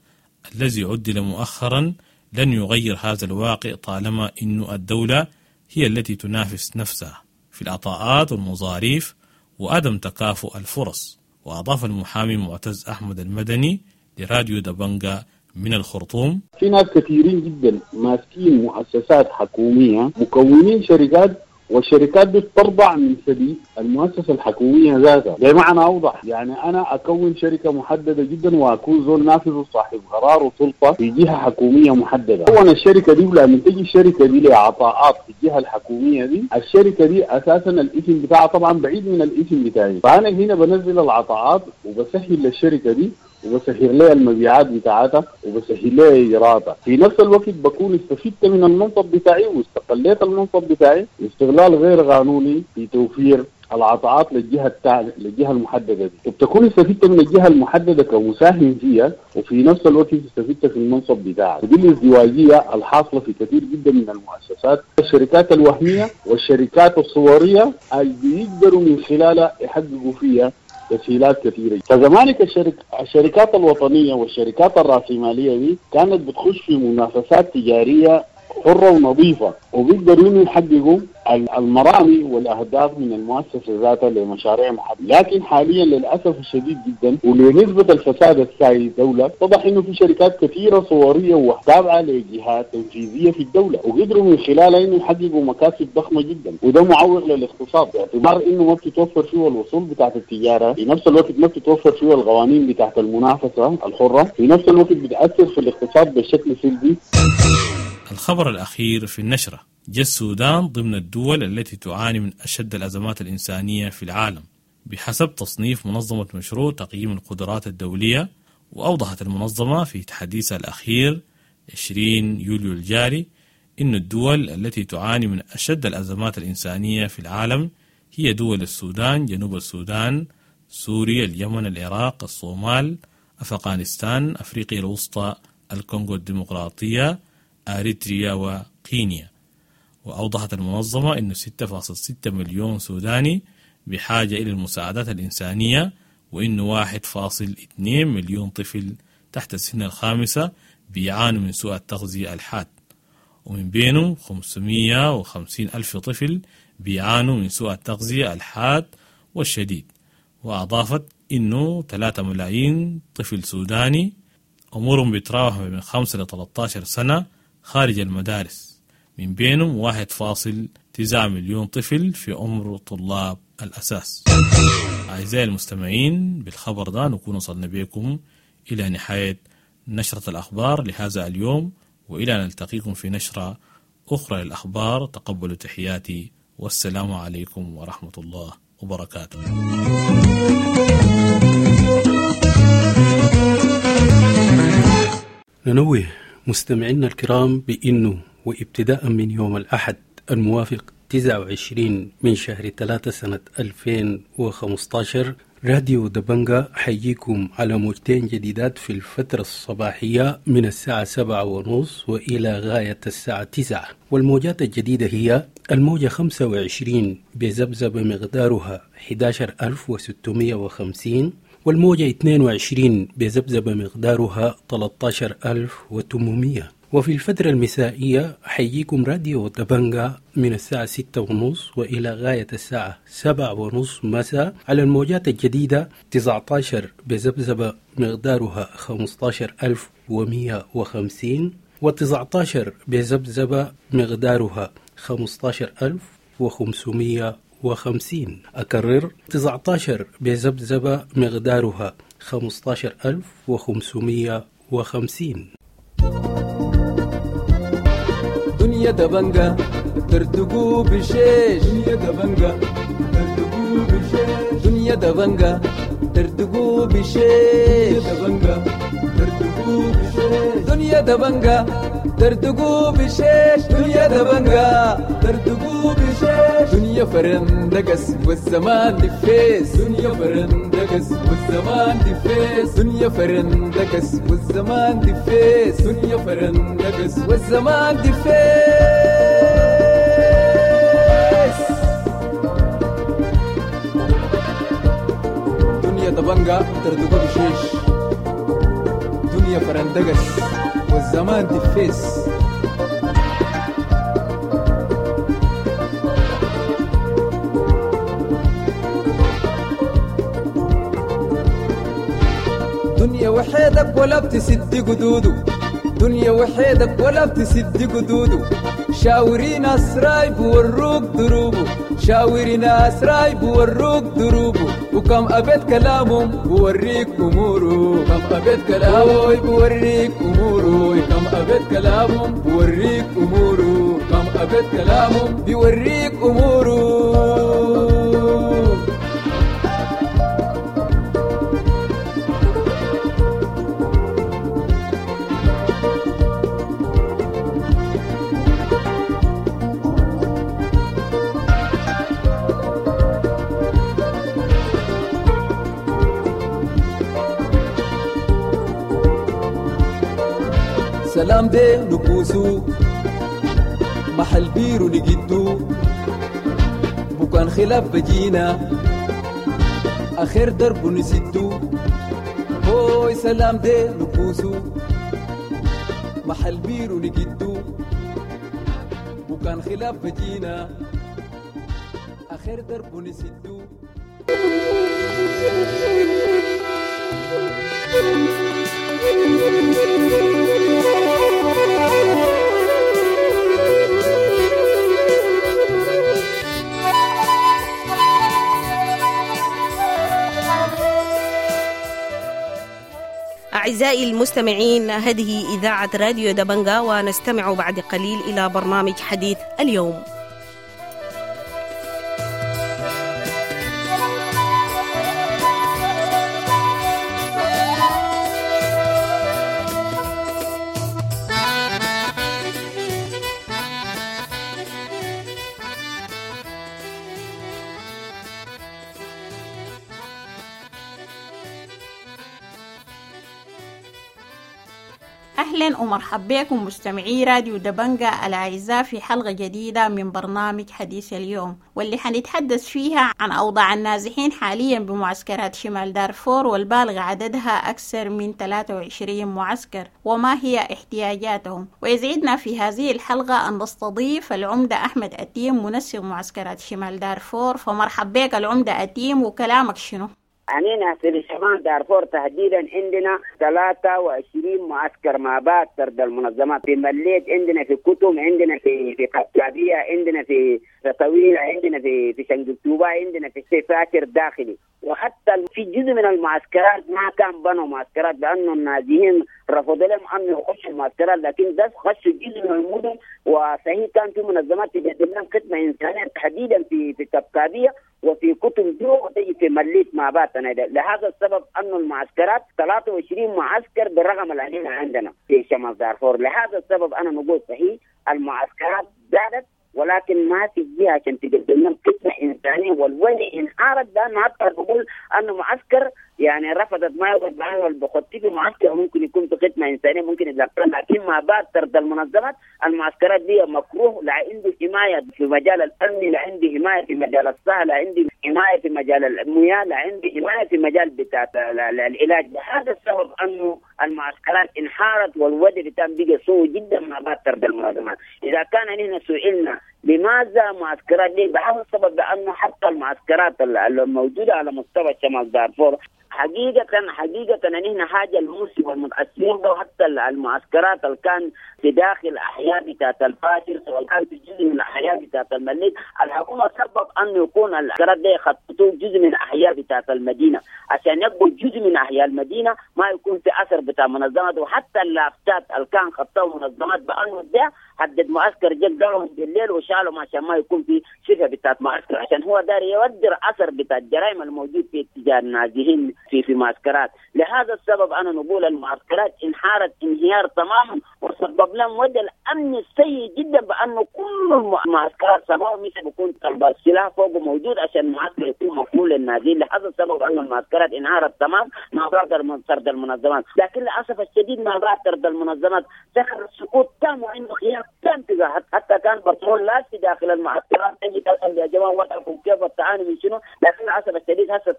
الذي عدل مؤخرا لن يغير هذا الواقع طالما أن الدولة هي التي تنافس نفسها في العطاءات والمظاريف وعدم تكافؤ الفرص. وأضاف المحامي معتز أحمد المدني لراديو دبنجة من الخرطوم: في ناس كثيرين جدا ماسكين مؤسسات حكومية مكونين شركات، والشركات دي بترضع من سبيل المؤسسة الحكومية ذاتها. بمعنى أوضح، يعني أنا أكون شركة محددة جدا وأكون زول نافذ وصاحب قرار وسلطة في جهة حكومية محددة. أولا الشركة دي لما تجي الشركة دي لعطاءات في الجهة الحكومية دي، الشركة دي أساسا الاسم بتاعها طبعا بعيد من الاسم بتاعي، فأنا هنا بنزل العطاءات وبسهل للشركة دي وبسهل لها المبيعات بتاعتها وبسهل لها اجراءاتها. في نفس الوقت بكون استفدت من المنصب بتاعي واستقليت المنصب بتاعي استغلال غير قانوني في توفير العطاءات للجهة التالية للجهة المحددة دي، وبتكون استفدت من الجهة المحددة كمساهم فيها، وفي نفس الوقت استفدت في المنصب بتاعك. ودي الازدواجيه الحاصلة في كثير جدا من المؤسسات، الشركات الوهمية والشركات الصوريه اللي بيقدروا من خلالها يحققوا فيها تسهيلات كثيرة. فزمانك الشرك... الشركات الوطنية والشركات الرأسمالية دي كانت بتخش في منافسات تجارية حرة ونظيفة، وبيقدروا إنه يحققوا المرامي والأهداف من المؤسسة ذاتها لمشاريع محددة. لكن حاليا للأسف الشديد جدا ولنسبة الفساد السائد الدولة، اتضح إنه في شركات كثيرة صورية وتابعة لجهات تنفيذية في الدولة، وقدروا من خلالها إنه يحققوا مكاسب ضخمة جدا، وده معوق للاقتصاد باعتبار إنه ما بتتوفر فيه الوصول بتاعت التجارة، في نفس الوقت ما بتتوفر فيه القوانين بتاعت المنافسة الحرة، في نفس الوقت بتأثر في الاقتصاد بشكل سلبي. الخبر الأخير في النشرة: جاء السودان ضمن الدول التي تعاني من أشد الأزمات الإنسانية في العالم بحسب تصنيف منظمة مشروع تقييم القدرات الدولية. وأوضحت المنظمة في تحديثها الأخير عشرين يوليو الجاري أن الدول التي تعاني من أشد الأزمات الإنسانية في العالم هي دول السودان، جنوب السودان، سوريا، اليمن، العراق، الصومال، أفغانستان، أفريقيا الوسطى، الكونغو الديمقراطية، أريتريا وكينيا. وأوضحت المنظمة أن ستة فاصلة ستة مليون سوداني بحاجة إلى المساعدات الإنسانية، وأن واحد فاصل اثنين مليون طفل تحت السن الخامسة بيعانوا من سوء التغذية الحاد، ومن بينهم خمسمائة وخمسين ألف طفل بيعانوا من سوء التغذية الحاد والشديد. وأضافت أنه ثلاثة ملايين طفل سوداني عمرهم بيتراوح من خمسة إلى ثلاثة عشر سنة خارج المدارس، من بينهم واحد فاصل تسعة مليون طفل في عمر طلاب الأساس. أعزائي المستمعين، بالخبر ده نكون وصلنا بكم إلى نهاية نشرة الأخبار لهذا اليوم، وإلى أن نلتقيكم في نشرة أخرى للأخبار. تقبلوا تحياتي والسلام عليكم ورحمة الله وبركاته. ننوه مستمعينا الكرام بأنه وابتداء من يوم الأحد الموافق تسعة وعشرين من شهر ثلاثة سنة ألفين وخمسة عشر راديو دبنجا حييكم على موجتين جديدات في الفترة الصباحية من الساعة سبعة ونص وإلى غاية الساعة تسعة، والموجات الجديدة هي الموجة خمسة وعشرين بذبذبة مقدارها أحد عشر ألف وستمائة وخمسين، والموجة اثنين وعشرين بذبذبة مقدارها ثلاثة عشر ألف وثمانمائة. وفي الفترة المسائية حييكم راديو دبنجا من الساعة ستة ونص وإلى غاية الساعة سبعة ونص مساء على الموجات الجديدة تسعة عشر بذبذبة مقدارها خمسة عشر ألف ومئة وخمسين، وتسعة عشر بذبذبة مقدارها خمسة عشر ألف وخمسمائة وخمسين. أكرر تسعة عشر بذبذبة مقدارها خمسة عشر ألف وخمسمائة وخمسين. دنيا دبنجا ترتقو بشيش، دنيا دبنجا ترتقو بشيش، دنيا دبنجا ترتقو بشيش، دبنجا ترتقو بشيش، دنيا دبنجا ترتقو بشيش، دنيا دبنجا ترتقو بشيش، دنيا فرندقس والزمان دفيس، دنيا فرندقس والزمان دفيس، دنيا فرندقس والزمان دفيس، دنيا فرندقس والزمان دفيس. دنيا دبنجا ترتقو بشيش، دنيا فرندقس والزمان دفيس. دنيا وحيدك ولا بتسد قدوده، دنيا وحيدك ولا بتسد قدوده، شاوري ناس رايب وروك دروبه، شاوري ناس رايب وروك دروبه، وكم أبيت كلامهم بوريك أموره، كم أبيت كلامه بوريك أموره، كم أبيت كلامهم بوريك أموره، كم أبيت كلامهم بيوريك أموره. سلام دي نكوسو محل بيرو نجدو، بكان خلاف بجينا آخر درب نسدو، هوي سلام دي نكوسو محل بيرو نجدو، بكان خلاف بجينا آخر درب نسدو. أعزائي المستمعين، هذه إذاعة راديو دبنجا، ونستمع بعد قليل إلى برنامج حديث اليوم. أهلا ومرحبا بكم مستمعي راديو دبنجا الأعزاء في حلقة جديدة من برنامج حديث اليوم، واللي حنتحدث فيها عن أوضاع النازحين حاليا بمعسكرات شمال دارفور والبالغ عددها أكثر من ثلاثة وعشرين معسكر، وما هي احتياجاتهم. ويسعدنا في هذه الحلقة أن نستضيف العمدة أحمد أتيم منسق معسكرات شمال دارفور. فمرحبا بك العمدة أتيم، وكلامك شنو؟ أننا في شمال دارفور تحديدا عندنا ثلاثة وعشرين معسكر ما بعد طرد المنظمات. في مليت عندنا، في كتم عندنا، في في قتابية عندنا، في طويلة عندنا، في في شنقلتوبة عندنا، في فاكر داخلي. وحتى في جزء من المعسكرات ما كان بنوا معسكرات لانه النازيين رفضوا لهم انه يخشوا المعسكرات، لكن ده خشوا جزء من المدن. وصحيح كان في منظمات تقدم لهم خدمة انسانيه تحديدا في في كبكابيه وفي كتم جو وتجي في مليت مع باتنا. لهذا السبب انه المعسكرات ثلاثة وعشرين معسكر بالرقم اللي عندنا في شمال دارفور. لهذا السبب انا نقول صحيح المعسكرات زادت، ولكن ما في جهة عشان تقدم لهم خدمة انسانيه. والوضع انهارت لانه حتى بقول انه معسكر يعني رفضت ما يقعد معاه البخطي في معسكر ممكن يكون في خدمة انسانيه ممكن يتلقى، لكن ما بعد طرد المنظمات المعسكرات دي مكروه، لا عنده حماية في مجال الامن، لا عنده حماية في مجال الصحة، لا عنده حماية في مجال المياه، لا عنده حماية في مجال بتاع العلاج. لهذا السبب انه المعسكرات انهارت والوضع بتاع بقى سوء جدا ما بعد طرد المنظمات. اذا كان نحن سئلنا لماذا معسكرات دي، بهذا السبب بانه حتى المعسكرات الموجودة على مستوى شمال دارفور حقيقة حقيقة نحن حاجة الموسم والمتأثرين به، حتى المعسكرات اللي كان في داخل أحياء بتاعت الفاشر سواء كان في جزء من الأحياء بتاعت المليك، الحكومة سبب أنه يكون المعسكرات دي خططوا جزء من أحياء بتاعت المدينة عشان يبقوا جزء من أحياء المدينة ما يكون في أثر بتاع منظمات. وحتى اللافتات اللي كان خططوا منظمات بأنه ده حدد معسكر جد بالليل وشالهم عشان ما يكون في شبه بتاعت معسكر، عشان هو داري يودر أثر بتاع الجرائم الموجود في اتجاه النازحين في في معسكرات. لهذا السبب أنا نقول المعسكرات انهارت انهيار تماما، وسبب لهم وضع الأمن السيء جدا بأنه كل المعسكرات سبعة مثل بيكون طلب السلاح فوقه موجود عشان المعسكر يكون مقبول للنازحين. لهذا السبب أن المعسكرات انهارت تمام مع بعد طرد المنظمات، لكن للأسف الشديد مع بعد طرد المنظمات دخل السقوط تام وعنده خيار تام تجاه، حتى كان بترول لا في داخل المعسكرات تجي تسأل يا جماعة وضعكم كيف التعاني من شنو، لكن للأسف الشديد هسه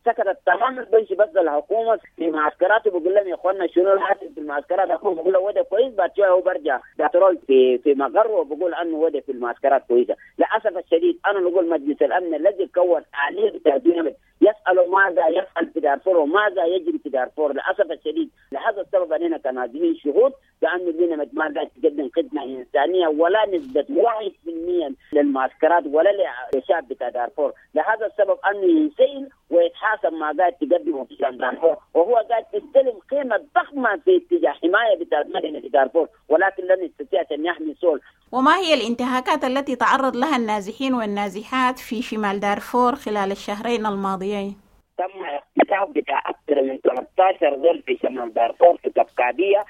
سكتت تمام. البنش بس الحكومة في معسكراته بيقول لهم يا اخوانا شنو الحاصل في المعسكرات، الحكومة بيقول له وضع كويس، بعد شوية هو برجع بترول في في مقر وبقول انه وضع في المعسكرات كويسة. للاسف الشديد انا نقول مجلس الامن الذي كون آلية بتاع يسأل ماذا يفعل في دارفور وماذا يجري في دارفور. للاسف الشديد لهذا السبب اننا كنازحين شهود بانه لنا ما قاعد تقدم خدمة انسانيه ولا نسبه واحد بالمئة للمعسكرات ولا للشعب بتاع دارفور. لهذا السبب انه ينسئل ويتحاسب ما قاعد تقدمه في دارفور، وهو قاعد يستلم قيمة ضخمة في اتجاه حماية بتاع مدينة دارفور، ولكن لن يستطيع ان يحمي سول. وما هي الانتهاكات التي تعرض لها النازحين والنازحات في شمال دارفور خلال الشهرين الماضيين؟ تم اغتصاب بتاع أكثر من ثلاثة عشر زول في شمال دارفور في كبكابية،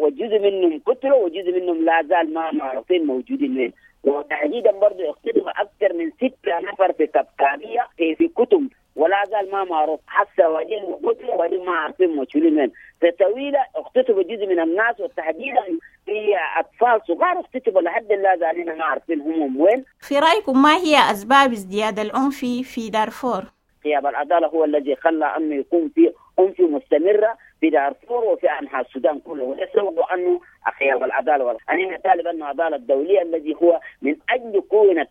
وجزء منهم قتلوا وجزء منهم لا زال ما معروفين موجودين وين. وتحديدا برضه اغتصب أكثر من ستة نفر في كبكابية في, في كتم ولا زال ما معروف حتى وجين قتلوا وجين ما عارفين موجودين وين. في طويلة اغتصبوا جزء من الناس وتحديدا في أطفال صغار اغتصبوا لحد لا زالين ما عارفين هم وين. في رأيكم ما هي أسباب ازدياد العنف في دارفور؟ غياب العدالة هو الذي خلى أنه يكون في عنف مستمرة في دارفور وفي أنحاء السودان كله، وده سبب أنه غياب العدالة. أنا نطالب أنه العدالة الدولية الذي هو من أجل كونة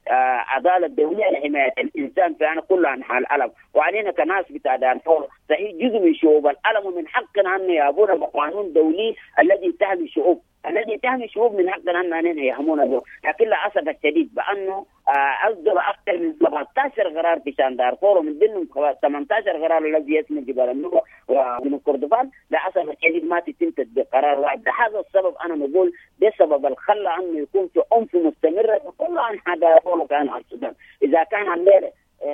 عدالة دولية لحماية الإنسان في أنا كل أنحاء العالم، وعلينا كناس بتاع دارفور صحيح جزء من شعوب العالم، ومن حقنا أن يابونا بقانون دولي الذي تحمي الشعوب، الذي تحمي الشعوب من حقنا أن يهمونا به. لكن للأسف الشديد بأنه أصدر أكثر من سبعة عشر قرار في شان دارفور، ومن ضمنهم ثمانية عشر قرار الذي يسمى جبال النوبة ومن كردفان. للأسف الشديد ما تتم تطبيق قرار واحد. لهذا السبب أنا نقول بسبب الخلة أنه يكون في عنف مستمرة في كل أنحاء دارفور وكان على السودان. إذا كان الليلة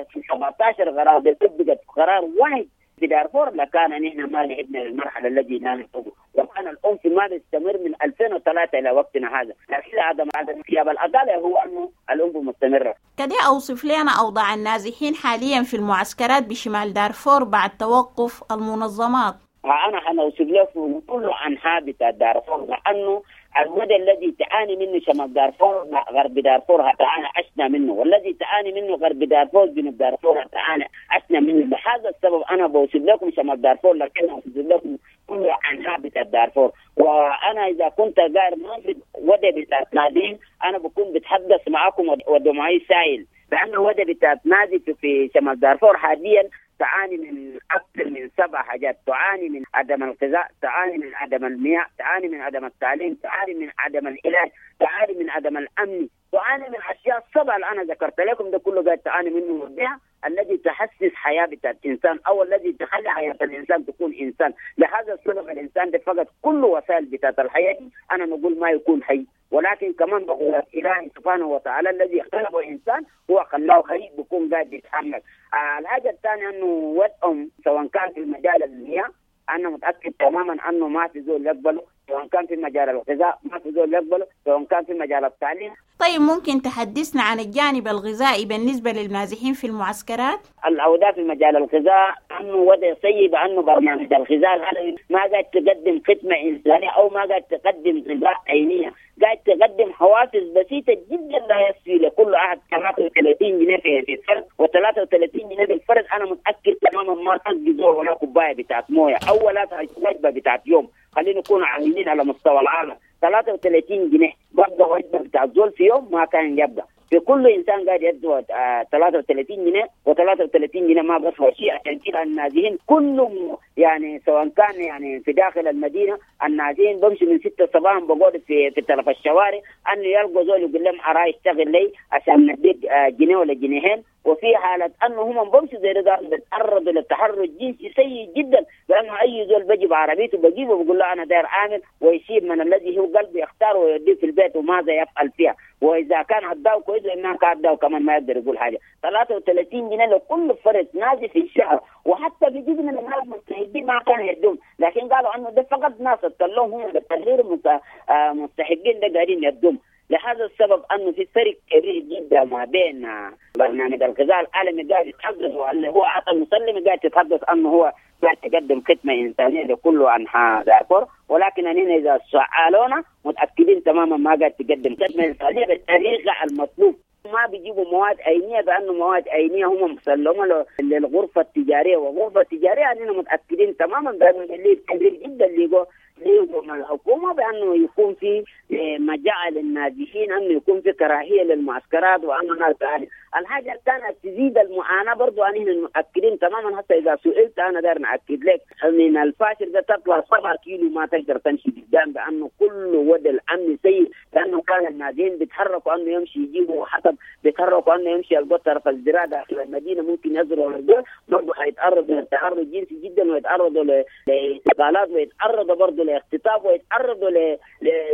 في سبعة عشر قرار بيطبقت قرار واحد في دارفور لكان نحن ما لعبنا للمرحلة التي نحن فوق، وكان العنف ما بيستمر من ألفين وثلاثة إلى وقتنا هذا. لكن عدم عدم غياب العدالة هو أنه العنف مستمرة. كده أوصف لنا أوضاع النازحين حاليا في المعسكرات بشمال دارفور بعد توقف المنظمات. أنا حنوصف لكم كل أنحاء بتاع دارفور، لأنه الوضع الذي تعاني منه شمال دارفور غرب دارفور تعاني عشنا منه، والذي تعاني منه غرب دارفور جنوب دارفور تعاني عشنا منه. لهذا السبب أنا بوصف لكم شمال دارفور، لكن أوصف لكم كل أنحاء بتاع دارفور. وأنا إذا كنت قاعد ما في وضع بتاع نادين أنا بكون بتحدث معكم ودمعي سائل، لأن الوضع بتاع نادي في شمال دارفور حاليا تعاني من أكثر من سبع حاجات، تعاني من عدم الغذاء، تعاني من عدم المياه، تعاني من عدم التعليم، تعاني من عدم العلاج، تعاني من عدم الأمن، تعاني من أشياء سبعة. السبعة اللي انا ذكرت لكم ده كله قاعد تعاني منه البيئة الذي تحسس حياة بتاعت الانسان او الذي تخلي حياة الانسان تكون انسان. لهذا السبب الانسان ده فقد كل وسائل بتاعت الحياة دي، انا نقول ما يكون حي، ولكن كمان بقول إلهي سبحانه وتعالى الذي خلقه إنسان هو خلاه حي بيكون قاعد يتحمل. آه الحاجة الثانية أنه وضعهم سواء كان في مجال المياه أنا متأكد تماما أنه ما في زول يقبله، سواء كان في مجال الغذاء ما في زول يقبله، سواء كان في مجال التعليم. طيب ممكن تحدثنا عن الجانب الغذائي بالنسبة للنازحين في المعسكرات؟ الأوضاع في مجال الغذاء أنه وضع سيء، بأنه برنامج الغذاء العالمي ما قاعد تقدم خدمة إنسانية أو ما قاعد تقدم غذاء عينية، قاعد تقدم حوافز بسيطة جدا لا يكفي لكل أحد. ثلاثة وثلاثين جنيه في الفرد وثلاثة وثلاثين جنيه بالفرد، أنا متأكد تماما ما تسقي زول ولا كوباية بتاعت موية أو ولا وجبة بتاعت يوم. خلينا نكون عاملين على مستوى العالم ثلاثة وثلاثين جنيه برضه وجبة بتاعت زول في يوم ما كان يبقى. في كل انسان قاعد يدوا ثلاثة وثلاثين جنيه وثلاثة وثلاثين جنيه ما بسوى شيء. عشان كده النازحين كلهم يعني سواء كان يعني في داخل المدينة النازحين بمشي من ستة صباحا بقعد في في طرف الشوارع انه يلقوا زول يقول لهم اراي اشتغل لي عشان نديك جنيه ولا جنيهين. وفي حالة أنه هم بمشوا زي ده بيتعرضوا للتحرش الجنسي سيء جدا، لأنه أي زول بجيب عربيته بجيبه بقول له أنا داير عامل، ويسيب من الذي هو قلبه يختاره ويوديه في البيت وماذا يفعل فيها. وإذا كان عداه كويس وإنها كان عداه كمان ما يقدر يقول حاجة. ثلاثة وثلاثين جنيه لكل فرد نازل في الشهر، وحتى في جزء من الناس المستحقين ما كانوا يدوم، لكن قالوا أنه ده فقط ناس اتكلموا هم بالتغيير مستحقين ده قاعدين يدوم. لهذا السبب أنه في فرق كبير جدا ما بين برنامج الغذاء العالمي قاعد يتحدث واللي هو عطى المسلم قاعد يتحدث أنه هو قاعد يقدم خدمة إنسانية لكل أنحاء دارفور، ولكن أننا إذا سألونا متأكدين تماما ما قاعد تقدم خدمة إنسانية بالطريقة المطلوب. ما بيجيبوا مواد عينية بأنه مواد عينية هم مسلمة للغرفة التجارية، والغرفة التجارية أننا متأكدين تماما بأنه اللي كبير جدا اللي ليقوم الحكومة بأنه يكون في مجال للنازحين، أنه يكون في كراهية للمعسكرات وأنه ناس تعالي. الحاجة الثانية تزيد المعاناة برضو أننا متأكدين تماما. حتى إذا سئلت أنا داير نأكد لك من الفاشل ده تطلع سبعة كيلو ما تقدر تمشي قدام، بأنه كل وضع الأمن سيء، لأنه كان النازحين بيتحركوا أنه يمشي يجيبوا حطب، بيتحركوا أنه يمشي يلقوا طرف الزراعة داخل المدينة ممكن يزرعوا الزرع، برضو حيتعرضوا للتحرش الجنسي جدا ويتعرضوا لاعتقالات ويتعرضوا برضو لاختطاف ويتعرضوا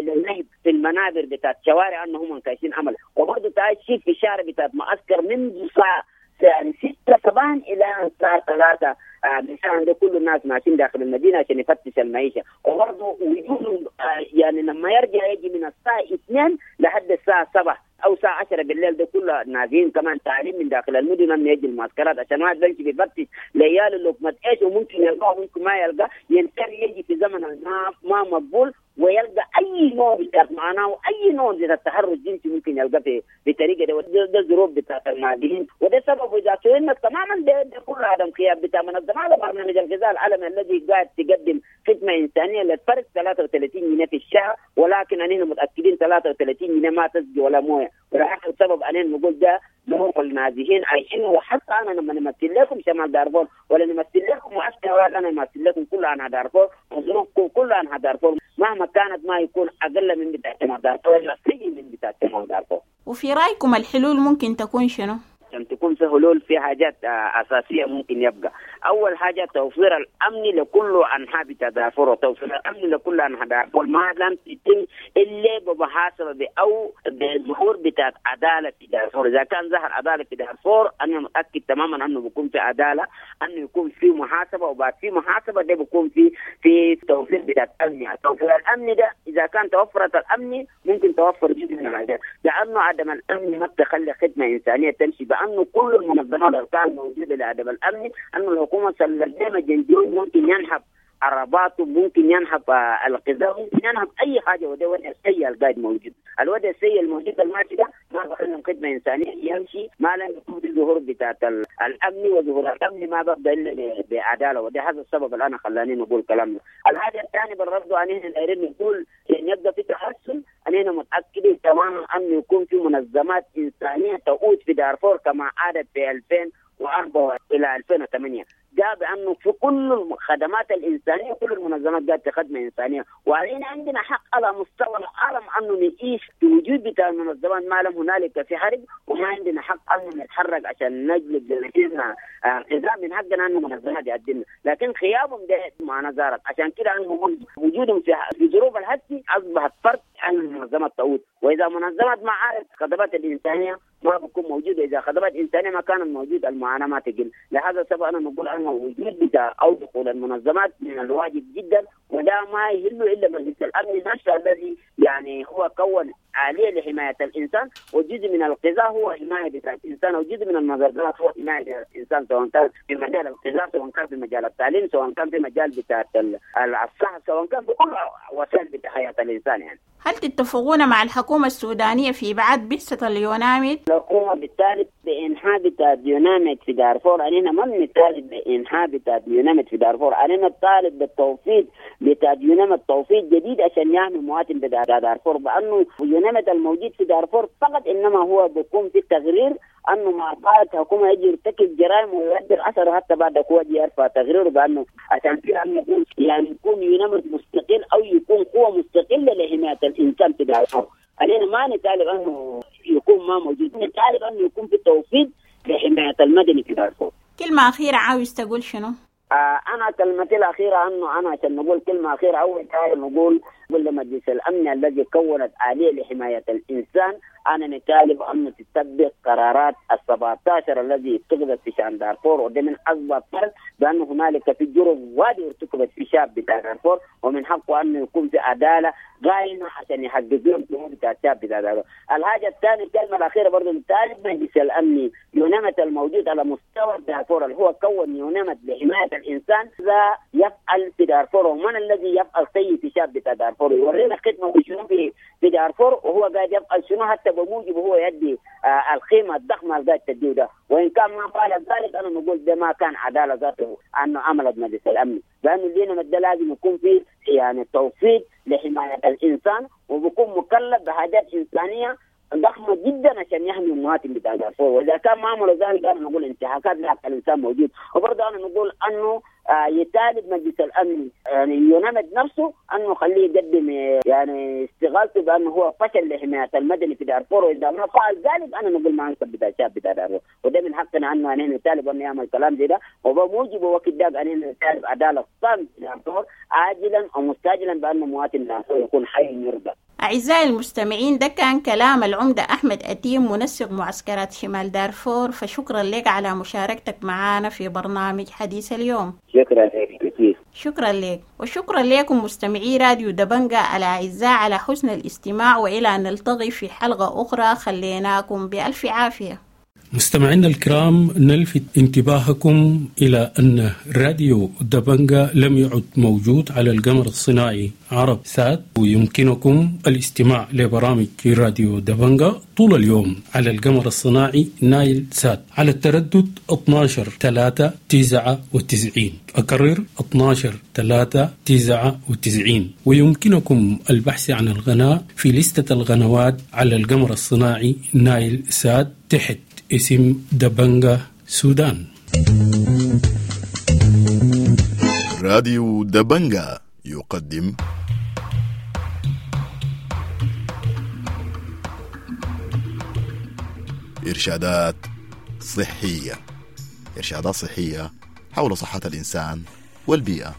للنهب في المنابر بتاعت شوارع انهم هم كايسين عمل. وبرضه تعال شيء في الشارع بتاعت معسكر منذ الساعة يعني ستة صباحا الى الساعة ثلاثة مساء، ده كل الناس ماشيين داخل المدينة عشان يفتش المعيشة. وبرضه وجود يعني لما يرجع يجي من الساعة اثنين لحد الساعة سبعة او الساعة عشرة بالليل ده كله نازلين كمان تعليم من داخل المدن انه يجي المعسكرات عشان واحد بيمشي بيفتش ليالي لقمة ايش وممكن يلقاه وممكن ما يلقاه، ينتر يجي في زمن ما ما مقبول ويلقى اي نوع بتاع معناه واي نوع من التحرش الجنسي ممكن يلقاه في بطريقة ده. ده الظروف بتاعت النازحين، وده سبب اذا سئلنا تماما ده, ده كله عدم قيام بتاع منظمة برنامج الغذاء العالمي الذي قاعد تقدم خدمة انسانيه للفرد ثلاثة وثلاثين جنيه في الشهر، ولكن اننا متاكدين ثلاثة وثلاثين جنيه ما تسقي ولا مويه. ولهذا السبب اننا نقول ده ظروف النازحين عايشين. وحتى انا لما نمثل لكم شمال دارفور ولا نمثل لكم معسكر، انا نمثل لكم كله عن دارفور وظروفكم كلها عن دارفور مهما كانت ما يكون اقل من بتاع شمال دارفور ولا سيء من بتاع شمال دارفور. وفي رايكم الحلول ممكن تكون شنو؟ عشان تكون في حلول في حاجات أساسية ممكن يبقى. أول حاجة توفير الأمن لكل أنحاء دارفور، وتوفير الأمن لكل أنحاء دارفور ما لم تتم إلا بمحاسبة أو بظهور بتاعت عدالة في دارفور. إذا كان ظهر عدالة في دارفور أنا متأكد تماما أنه بيكون في عدالة، أنه يكون في محاسبة، وبعد في محاسبة ده بيكون في في توفير بتاعت أمن. توفير الأمن ده إذا كان توفرت الأمن ممكن توفر جزء من العدالة، لأنه عدم الأمن ما بتخلي خدمة إنسانية تمشي. بأنه كل المنظمات اللي كانت موجودة لعدم الأمن أنه الحكومة سلمت جنديون ممكن ينحب عرباته، ممكن ينحب الغذاء، ممكن ينحب أي حاجة. وده وضع السيء القاعد موجود. الوضع السيء الموجود الماشي ده ما بخلي خدمة إنسانية يمشي ما لم يكون في ظهور بتاعت الأمن، وظهور الأمن ما ببدأ إلا بعدالة. وده هذا السبب اللي أنا خلاني نقول كلامنا. الحاجة الثانية بالرد أن إحنا دايرين نقول إن يبقى في تحسن، أننا متأكدين تماما أنه يكون في منظمات إنسانية تعود في دارفور كما عادت في ألفين وأربعة إلى ألفين وثمانية. جاء بانه في كل الخدمات الانسانية كل المنظمات قاعدة خدمة انسانيه، وعلينا عندنا حق على مستوى العالم انه نعيش في وجود بتاع المنظمات ما لم هنالك في حرب، وما عندنا حق انه نتحرك عشان نجلب لنفسنا غذاء. من حقنا انه منظمات يقدمنا، لكن غيابهم ده معنا زارت. عشان كده انا بقول وجودهم في في ظروف الهسي اصبحت فرق عن المنظمات تعود، واذا منظمات ما عارف خدمات الانسانية ما بتكون موجودة، اذا خدمات انسانيه ما كانت موجودة المعاناة ما تقل. لهذا السبب انا نقول انه وجود بتاع او دخول المنظمات من الواجب جدا، وده ما يهل الا مجلس الامن نفسه الذي يعني هو كون آلية لحماية الإنسان، وجزء من الغذاء هو حماية بتاع الإنسان، وجزء من المنظمات هو حماية الإنسان، سواء كان في مجال الغذاء، سواء كان في مجال التعليم، سواء كان في مجال بتاع الصحة، سواء كان في كل وسائل بتاع حياة الإنسان يعني. هل تتفقون مع الحكومة السودانية في إبعاد بعثة اليوناميد؟ الحكومة بالتالي بإنحاء بتاع اليوناميد في دارفور، علينا ما بنطالب بإنحاء بتاع اليوناميد في دارفور، علينا نطالب بالتوفيق بتاع اليوناميد، توفيق جديد عشان يعمل مواطن بتاع دارفور، بأنه اليوناميد الموجود في دارفور فقط إنما هو بيكون في تغرير انه مع بعض الحكومة يجي يرتكب جرائم ويؤدي اثره حتى بعد هو يرفع تغريره بانه عشان كده يكون يعني يكون يوناميد مستقل او يكون قوة مستقلة لحماية الانسان في دارفور. علينا ما نطالب انه يكون ما موجود، نطالب انه يكون في توفيق لحماية المدني في دارفور. كلمة اخيرة عاوز تقول شنو؟ آه انا كلمتي الاخيرة انه انا عشان نقول كلمة اخيرة، اول حاجة نقول نقول لمجلس الامن الذي كونت آلية لحماية الانسان، انا نطالب انه تطبق قرارات ال سبعة عشر الذي اتخذت في شان دارفور، وده من اكبر فرق بانه هنالك في جرم وادي ارتكبت في شاب بتاع دارفور، ومن حقه انه يكون في عدالة قائمة عشان يحققوا الجهود بتاع الشاب بتاع دارفور. الحاجة الثانية الكلمة الاخيرة برضه نطالب مجلس الامن يوناميد الموجود على مستوى دارفور اللي هو كون يوناميد لحماية الانسان ذا يفعل في دارفور، ومن الذي يفعل سيء في شاب بتاع دارفور يورينا خدمة شنو في في دارفور وهو قاعد يفعل شنو حتى بموجب هو يدي آه القيمة الضخمة اللي قاعد تديه ده. وان كان ما فعل ذلك انا نقول ده ما كان عدالة ذاته انه عملت مجلس الامن، لانه اليوناميد ده لازم يكون فيه يعني توفيق لحماية الانسان، وبيكون مكلف بحاجات انسانيه ضخمة جدا عشان يحمي المواطن بتاع دارفور. واذا كان ما عملوا ذلك انا نقول انتهاكات لحق الانسان موجود. وبرضه انا نقول انه آه يطالب مجلس الامن يعني يوناميد نفسه انه خليه يقدم يعني استغاثته بانه هو فشل لحماية المدني في دارفور، واذا ما فعل ذلك انا نقول ما انسب بتاع الشعب بتاع دارفور، وده من حقنا انه احنا نطالب انه يعمل كلام زي ده، وبموجب وقت ذاك ان نطالب عدالة تامة في دارفور عاجلا او مستعجلا بانه مواطن دارفور يكون حي يرضى. أعزائي المستمعين، ده كان كلام العمدة أحمد أتيم منسق معسكرات شمال دارفور، فشكرا لك على مشاركتك معنا في برنامج حديث اليوم. شكرا لك كثير. شكرا لك، وشكرا لكم مستمعي راديو دبنجة الأعزاء على حسن الاستماع، وإلى أن نلتقي في حلقة أخرى خليناكم بألف عافية. مستمعينا الكرام، نلفت انتباهكم إلى أن راديو دبنجة لم يعد موجود على القمر الصناعي عرب سات، ويمكنكم الاستماع لبرامج راديو دبنجة طول اليوم على القمر الصناعي نايل سات على التردد اثنا عشر ثلاثة تسعة وتسعين، أكرر اثنا عشر ثلاثة تسعة وتسعين. ويمكنكم البحث عن القناة في لستة القنوات على القمر الصناعي نايل سات تحت اسم دبنجة سودان. راديو دبنجة يقدم إرشادات صحية، إرشادات صحية حول صحة الإنسان والبيئة.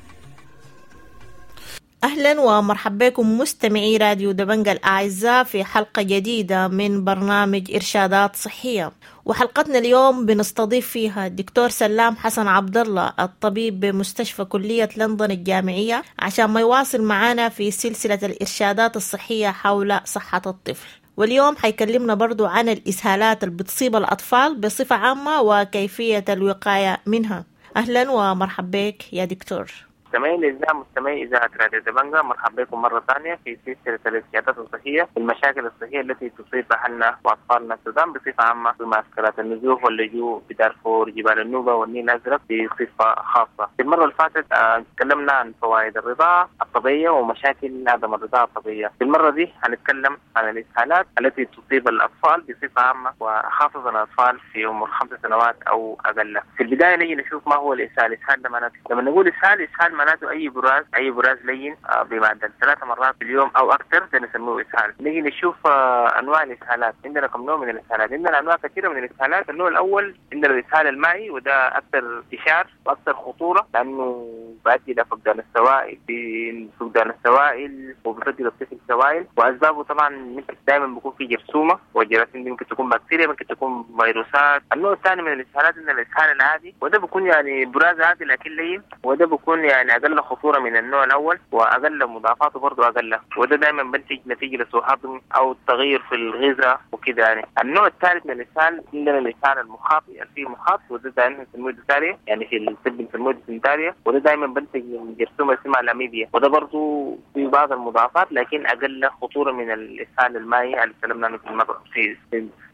أهلا ومرحبا بكم مستمعي راديو دبنجة الأعزاء في حلقة جديدة من برنامج إرشادات صحية، وحلقتنا اليوم بنستضيف فيها الدكتور سلام حسن عبد الله الطبيب بمستشفى كلية لندن الجامعية عشان ما يواصل معنا في سلسلة الإرشادات الصحية حول صحة الطفل. واليوم حيكلمنا برضو عن الإسهالات اللي بتصيب الأطفال بصفة عامة وكيفية الوقاية منها. أهلا ومرحبا بك يا دكتور. مستمعين الأعزاء، مستمعي إذاعة راديو دبنجا، مرحبا بكم مرة ثانية في سلسلة الإرشادات الصحية في المشاكل الصحية التي تصيب أهلنا وأطفالنا السودان بصفة عامة في معسكرات النزوح واللجوء بدارفور، جبال النوبة والنيل الأزرق بصفة خاصة. في المرة اللي فاتت تكلمنا عن فوائد الرضاعة الطبيعية ومشاكل عدم الرضاعة الطبيعية. في المرة دي هنتكلم عن الإسهالات التي تصيب الأطفال بصفة عامة وخاصة الأطفال في عمر خمس سنوات أو أقل. في البداية نيجي نشوف ما هو الإسهال. الإسهال ده معناته لما نقول إسهال، إسهال معناته أي براز، أي براز لين بمعدل ثلاث مرات في اليوم أو أكثر ده نسميه إسهال. نيجي نشوف أنواع الإسهالات. عندنا كم نوع من الإسهالات؟ عندنا أنواع كثيرة من الإسهالات. النوع الأول عندنا الإسهال المائي، وده أكثر انتشار وأكثر خطورة لأنه بيؤدي إلى فقدان السوائل، فقدان السوائل وبيفقد الطفل سوائل. وأسبابه طبعا ممكن دائما بيكون في جرثومة، والجراثيم دي ممكن تكون بكتيريا، ممكن تكون فيروسات. النوع الثاني من الإسهالات عندنا الإسهال العادي، وده بيكون يعني براز عادي لكن لين، وده بيكون يعني أقل خطورة من النوع الأول وأقل مضاعفاته برضه أقل، وده دائما بنتج نتيجة لسوء هضم أو التغيير في الغذاء وكده يعني. النوع الثالث من الإسهال عندنا الإسهال المخاطي، فيه مخاط، وده دائما بنسميه ديساريا، يعني في الطب بنسميه ديسنتاريا، وده دائما بنتج من جرثومة اسمها الأميبيا، وده برضه في بعض المضاعفات لكن أقل خطورة من الإسهال المائي اللي تكلمنا عنه في المرة في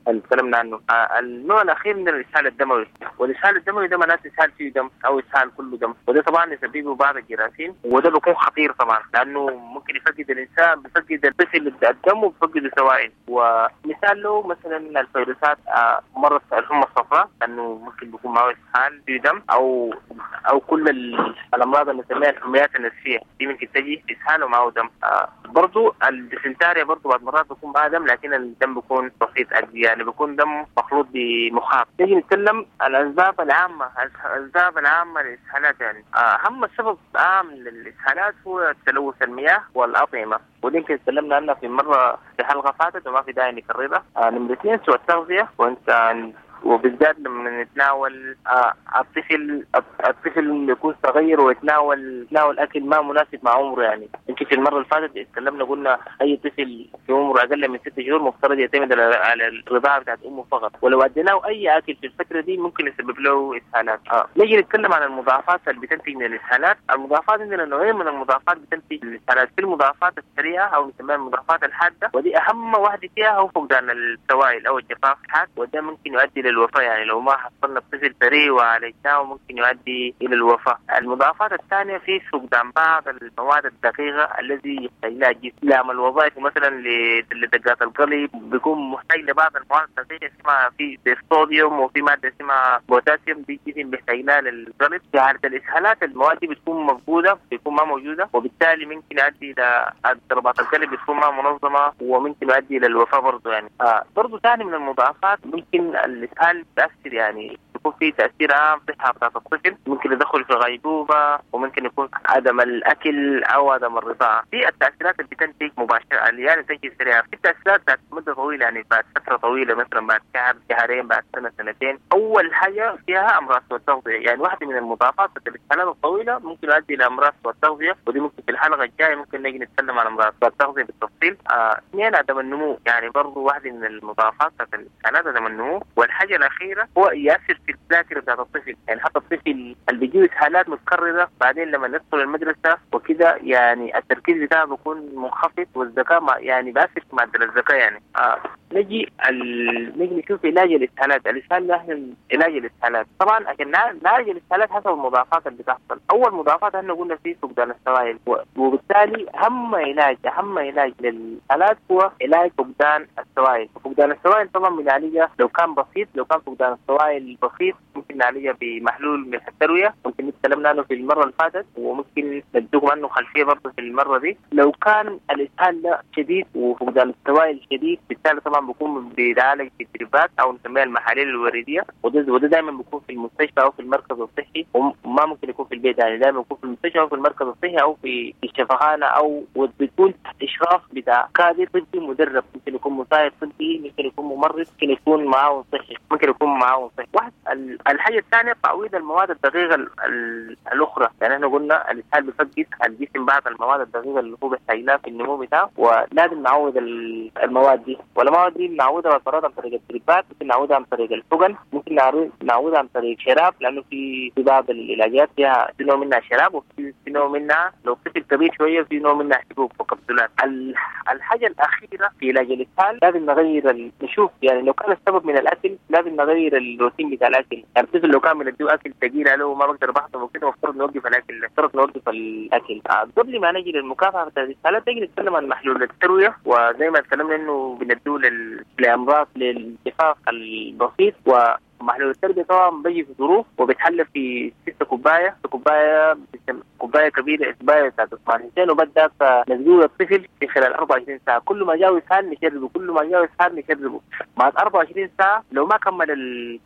اللي تكلمنا عنه. آه النوع الأخير من الإسهال الدموي، والإسهال الدموي ده معناته إسهال فيه دم أو إسهال كله دم، وده طبعا يسببه بعض الجراثيم، وده بيكون خطير طبعا لأنه ممكن يفقد الإنسان، بيفقد الطفل الدم وبيفقد السوائل. ومثال له مثلا الفيروسات، آه مرض الحمى الصفراء لأنه ممكن بيكون معه إسهال فيه دم، أو أو كل الأمراض اللي نسميها الحميات النفسية دي ممكن تجي إسهال ومعه دم. آه برضو الديسنتاريا برضو بعض مرات بيكون معها دم لكن الدم بيكون بسيط، يعني بيكون دم مخلوط بمخاط. نيجي نتكلم عن الأسباب العامة، الأسباب العامة للإسهالات. يعني أهم سبب عام للإسهالات هو تلوث المياه والأطعمة، ودي يمكن تكلمنا عنها في مرة في حلقة فاتت وما في داعي نكررها. نمرة اثنين سوء التغذية، وانت وبالذات لما نتناول آه الطفل الطفل يكون صغير ويتناول يتناول اكل ما مناسب مع عمره. يعني يمكن في المرة اللي فاتت اتكلمنا قلنا اي طفل في عمره اقل من ست شهور مفترض يعتمد على الرضاعة بتاعت امه فقط، ولو اديناه اي اكل في الفترة دي ممكن يسبب له اسهالات. آه. نيجي نتكلم عن المضاعفات اللي بتنتج من الاسهالات. المضاعفات عندنا نوعين من المضاعفات بتنتج من الاسهالات، في المضاعفات السريعة او نسميها المضاعفات الحادة، ودي اهم واحدة فيها هو فقدان السوائل او الجفاف الحاد، وده ممكن يؤدي للوفاة. يعني لو ما حصلنا الطفل سريع وعالجناه ممكن يؤدي إلى الوفاة. المضاعفات الثانية في فقدان بعض المواد الدقيقة الذي يحتاج لها الجسم لعمل وظائف، مثلا لدقات القلب بيكون محتاج لبعض المواد الدقيقة اسمها في الصوديوم وفي مادة اسمها بوتاسيوم، دي الجسم بيحتاج لها للقلب. في حالة الإسهالات المواد دي بتكون مفقودة، بيكون ما موجودة، وبالتالي ممكن يؤدي إلى ضربات القلب بتكون ما منظمة وممكن يؤدي إلى الوفاة برضه. يعني آه برضه ثاني من المضاعفات ممكن الإسهال تأثر، يعني يكون في تأثير عام في صحة بتاعت الطفل، ممكن يدخل في غيبوبة، وممكن يكون عدم الأكل أو عدم الرضاعة. في التأثيرات اللي بتنتج مباشرة اللي يعني تنتج سريعة، في التأثيرات بتاعت مدة طويلة، يعني بعد فترة طويلة مثلا بعد شهر شهرين بعد سنة سنتين. أول حاجة فيها أمراض سوء التغذية، يعني واحدة من المضاعفات بتاعت الإسهالات الطويلة ممكن تؤدي إلى أمراض سوء التغذية، ودي ممكن في الحلقة الجاية ممكن نجي نتكلم عن أمراض سوء التغذية بالتفصيل. اثنين آه عدم النمو، يعني برضه واحدة من المضاعفات بتاعت الإسهالات عدم النمو. والحاجة الأخيرة هو يأثر في الذاكرة بتاعت الطفل، يعني حتى الطفل اللي بيجيه إسهالات متكررة بعدين لما يدخل المدرسة وكده يعني التركيز بتاعه بيكون منخفض، والذكاء يعني بيأثر في معدل الذكاء يعني. آه. نجي ال... نجي نشوف علاج الإسهالات. الإسهال ده علاج الإسهالات طبعا عشان نعالج الإسهالات حسب المضاعفات اللي بتحصل. أول مضاعفات احنا قلنا فيه فقدان السوائل، وبالتالي أهم علاج أهم علاج للإسهالات هو علاج فقدان السوائل. فقدان السوائل طبعا بنعالجها لو كان بسيط، لو كان فقدان السوائل بسيط ممكن نعالجها بمحلول ملح التروية، ممكن نتكلمنا عنه في المرة اللي فاتت وممكن نديكم عنه خلفية برضه في المرة دي. لو كان الإسهال ده شديد وفقدان السوائل شديد بالتالي طبعا بيكون بيتعالج بالدربات او نسميها المحاليل الوريديه، وده وده دائما بيكون في المستشفى او في المركز الصحي، وما ممكن يكون في البيت، يعني دائما بيكون في المستشفى او في المركز الصحي او في الشفخانه، او وبتكون تحت اشراف بتاع كادر طبي مدرب، ممكن يكون مساعد طبي، ممكن يكون ممرض، ممكن يكون معاون صحي، ممكن يكون معاون صحي. واحد الحاجة الثانية تعويض المواد الدقيقة ال ال الاخرى، يعني احنا قلنا الاسهال بيفقد الجسم بعض المواد الدقيقة اللي هو بيحتاج لها في النمو بتاعه، ولازم نعوض المواد دي. والمواد دي نعوضها بالفراد عن طريق التريبات، ممكن نعوضها عن طريق الحقن، ممكن نعوضها عن طريق شراب، لانه في في بعض العلاجات فيها في نوع منها شراب وفي في نوع منها لو طفل كبير شوية في نوع منها حبوب وكبسولات. الحاجة الاخيرة في علاج الاسهال لازم نغير ال... نشوف يعني لو كان السبب من الاكل لازم نغير الروتين بتاع الاكل. يعني الطفل لو كان بنديه اكل ثقيل عليه وما بقدر بحضنه وكده المفترض نوقف الاكل، المفترض نوقف الاكل. قبل ما نجي للمكافحه بتاعت الاسهالات نجي نتكلم عن محلول التروية، وزي ما تكلمنا انه بنديه لل... لامراض للجفاف البسيط. و محلول التربية طبعا بيجي في ظروف وبيتحلى في ستة كوباية، كوباية كوباية كبيرة كوباية بتاعت حسين، وبدأ نزول الطفل في خلال أربعة وعشرين ساعة، كل ما جاء اسهال نشربه، كل ما جاء اسهال نشربه. بعد أربعة وعشرين ساعة لو ما كمل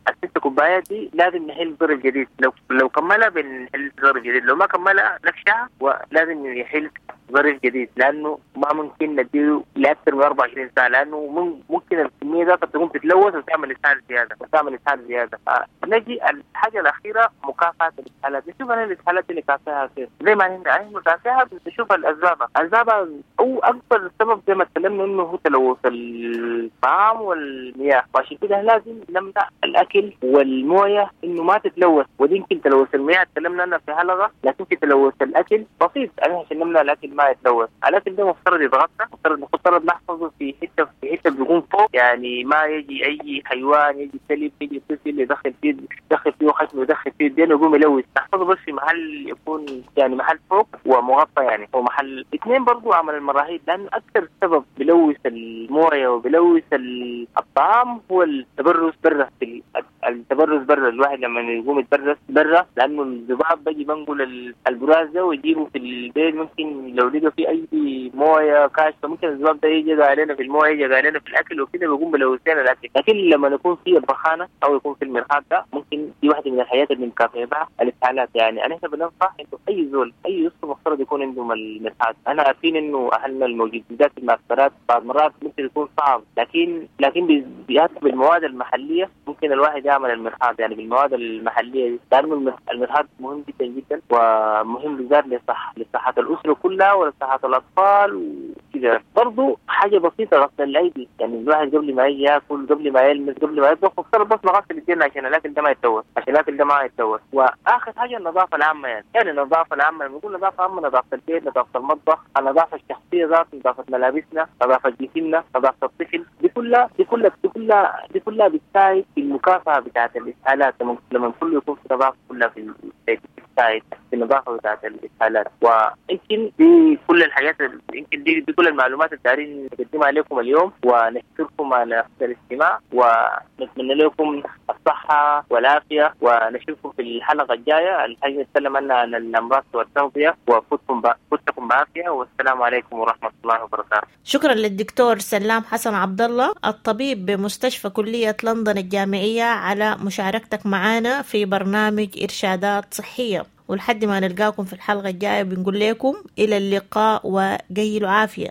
الست كوبايات دي لازم نحل ظرف جديد، لو لو كملها بنحل ظرف جديد، لو ما كملها نفشها ولازم يحل ظرف جديد، لانه ما ممكن نديه لاكثر من أربعة وعشرين ساعة، لانه ممكن الكمية ذاتها تقوم تتلوث وتعمل اسهال زيادة وتعمل اسهال زيادة. آه. نجي الحاجة الاخيرة مكافحة الاسهالات. نشوف انا الاسهالات اللي كافحها كيف، زي ما نحن مكافحها بنشوف الاسباب. الاسباب او اكبر سبب زي ما تكلمنا انه هو تلوث الطعام والمياه، وعشان كده لازم نمنع الاكل والمويه انه ما تتلوث، ودي يمكن تلوث المياه تكلمنا عنها في حلقة، لكن في تلوث الاكل بسيط عشان نمنع الاكل ما يتلوث. الاكل ده مفترض يتغطى، مفترض مفترض نحفظه في حتة في حتة بيكون فوق، يعني ما يجي اي حيوان يجي كلب يجي طفل يدخل فيه يدخل فيه خشم ويدخل فيه الدين ويقوم يلوث. نحفظه بس في محل يكون يعني محل فوق ومغطى يعني، ومحل اثنين برضو عمل المراحيض، لانه اكثر سبب بلوث المويه وبلوث الطعام هو التبرز برا، في التبرز برا، الواحد لما يقوم يتبرز برا لانه الذباب بيجي بنقل البراز ده ويجيبه في البيت، ممكن لو لقى في اي مويه كاشفة ممكن الذباب ده يجي علينا في المويه يجي علينا في الاكل وكده بيقوم بلوث لنا الاكل. لكن لما نكون في البخانه او يكون في المرحاض ده ممكن دي واحدة من الحاجات اللي بنكافئ بها الاسهالات. يعني انا بننصح انه اي زول اي اسره مفترض يكون عندهم المرحاض. انا عارفين انه اهلنا الموجودين في المعسكرات بعض مرات ممكن يكون صعب، لكن لكن بالمواد المحلية ممكن الواحد يعمل المرحاض، يعني بالمواد المحلية دي، لانه المرحاض مهم جدا جدا ومهم بالذات لصحة لصحة الاسرة كلها ولصحه الاطفال وكذا. برضه حاجة بسيطة غسل الايدي، يعني الواحد قبل ما يجي ياكل قبل ما يلمس قبل ما يطبخ مفترض بس نغسل ايدينا عشان الاكل ده ما يتلوث، عشان الاكل ده ما يتلوث. واخر حاجة النظافة العامة، يعني يعني النظافة العامة لما نقول نظافة عامة نظافة البيت، نظافة المطبخ، النظافة الشخصية ذات، نظافة ملابسنا، نظافة جسمنا، نظافة الطفل، دي كلها دي كلها دي كلها دي كلها بتساعد في المكافحه بتاعت الاسهالات. لما لما كله يكون في نظافة كلها في البيت بتساعد في النظافة بتاعت الاسهالات. ويمكن دي كل الحاجات، يمكن دي, دي كل المعلومات اللي دايرين نقدمها لكم اليوم، ونشكركم على الاستماع ونتمنى لكم الصحة والعافية، ونشوفكم في الحلقة الجاية الحاجة نتكلم عنها عن الامراض والتغذيه. وفوتكم فوتكم بعافية، والسلام عليكم ورحمة الله وبركاته. شكرا للدكتور سلام حسن عبد الله الطبيب بمستشفى كليه لندن الجامعية على مشاركتك معنا في برنامج ارشادات صحية، ولحد ما نلقاكم في الحلقة الجاية بنقول لكم إلى اللقاء وقيلوا عافية.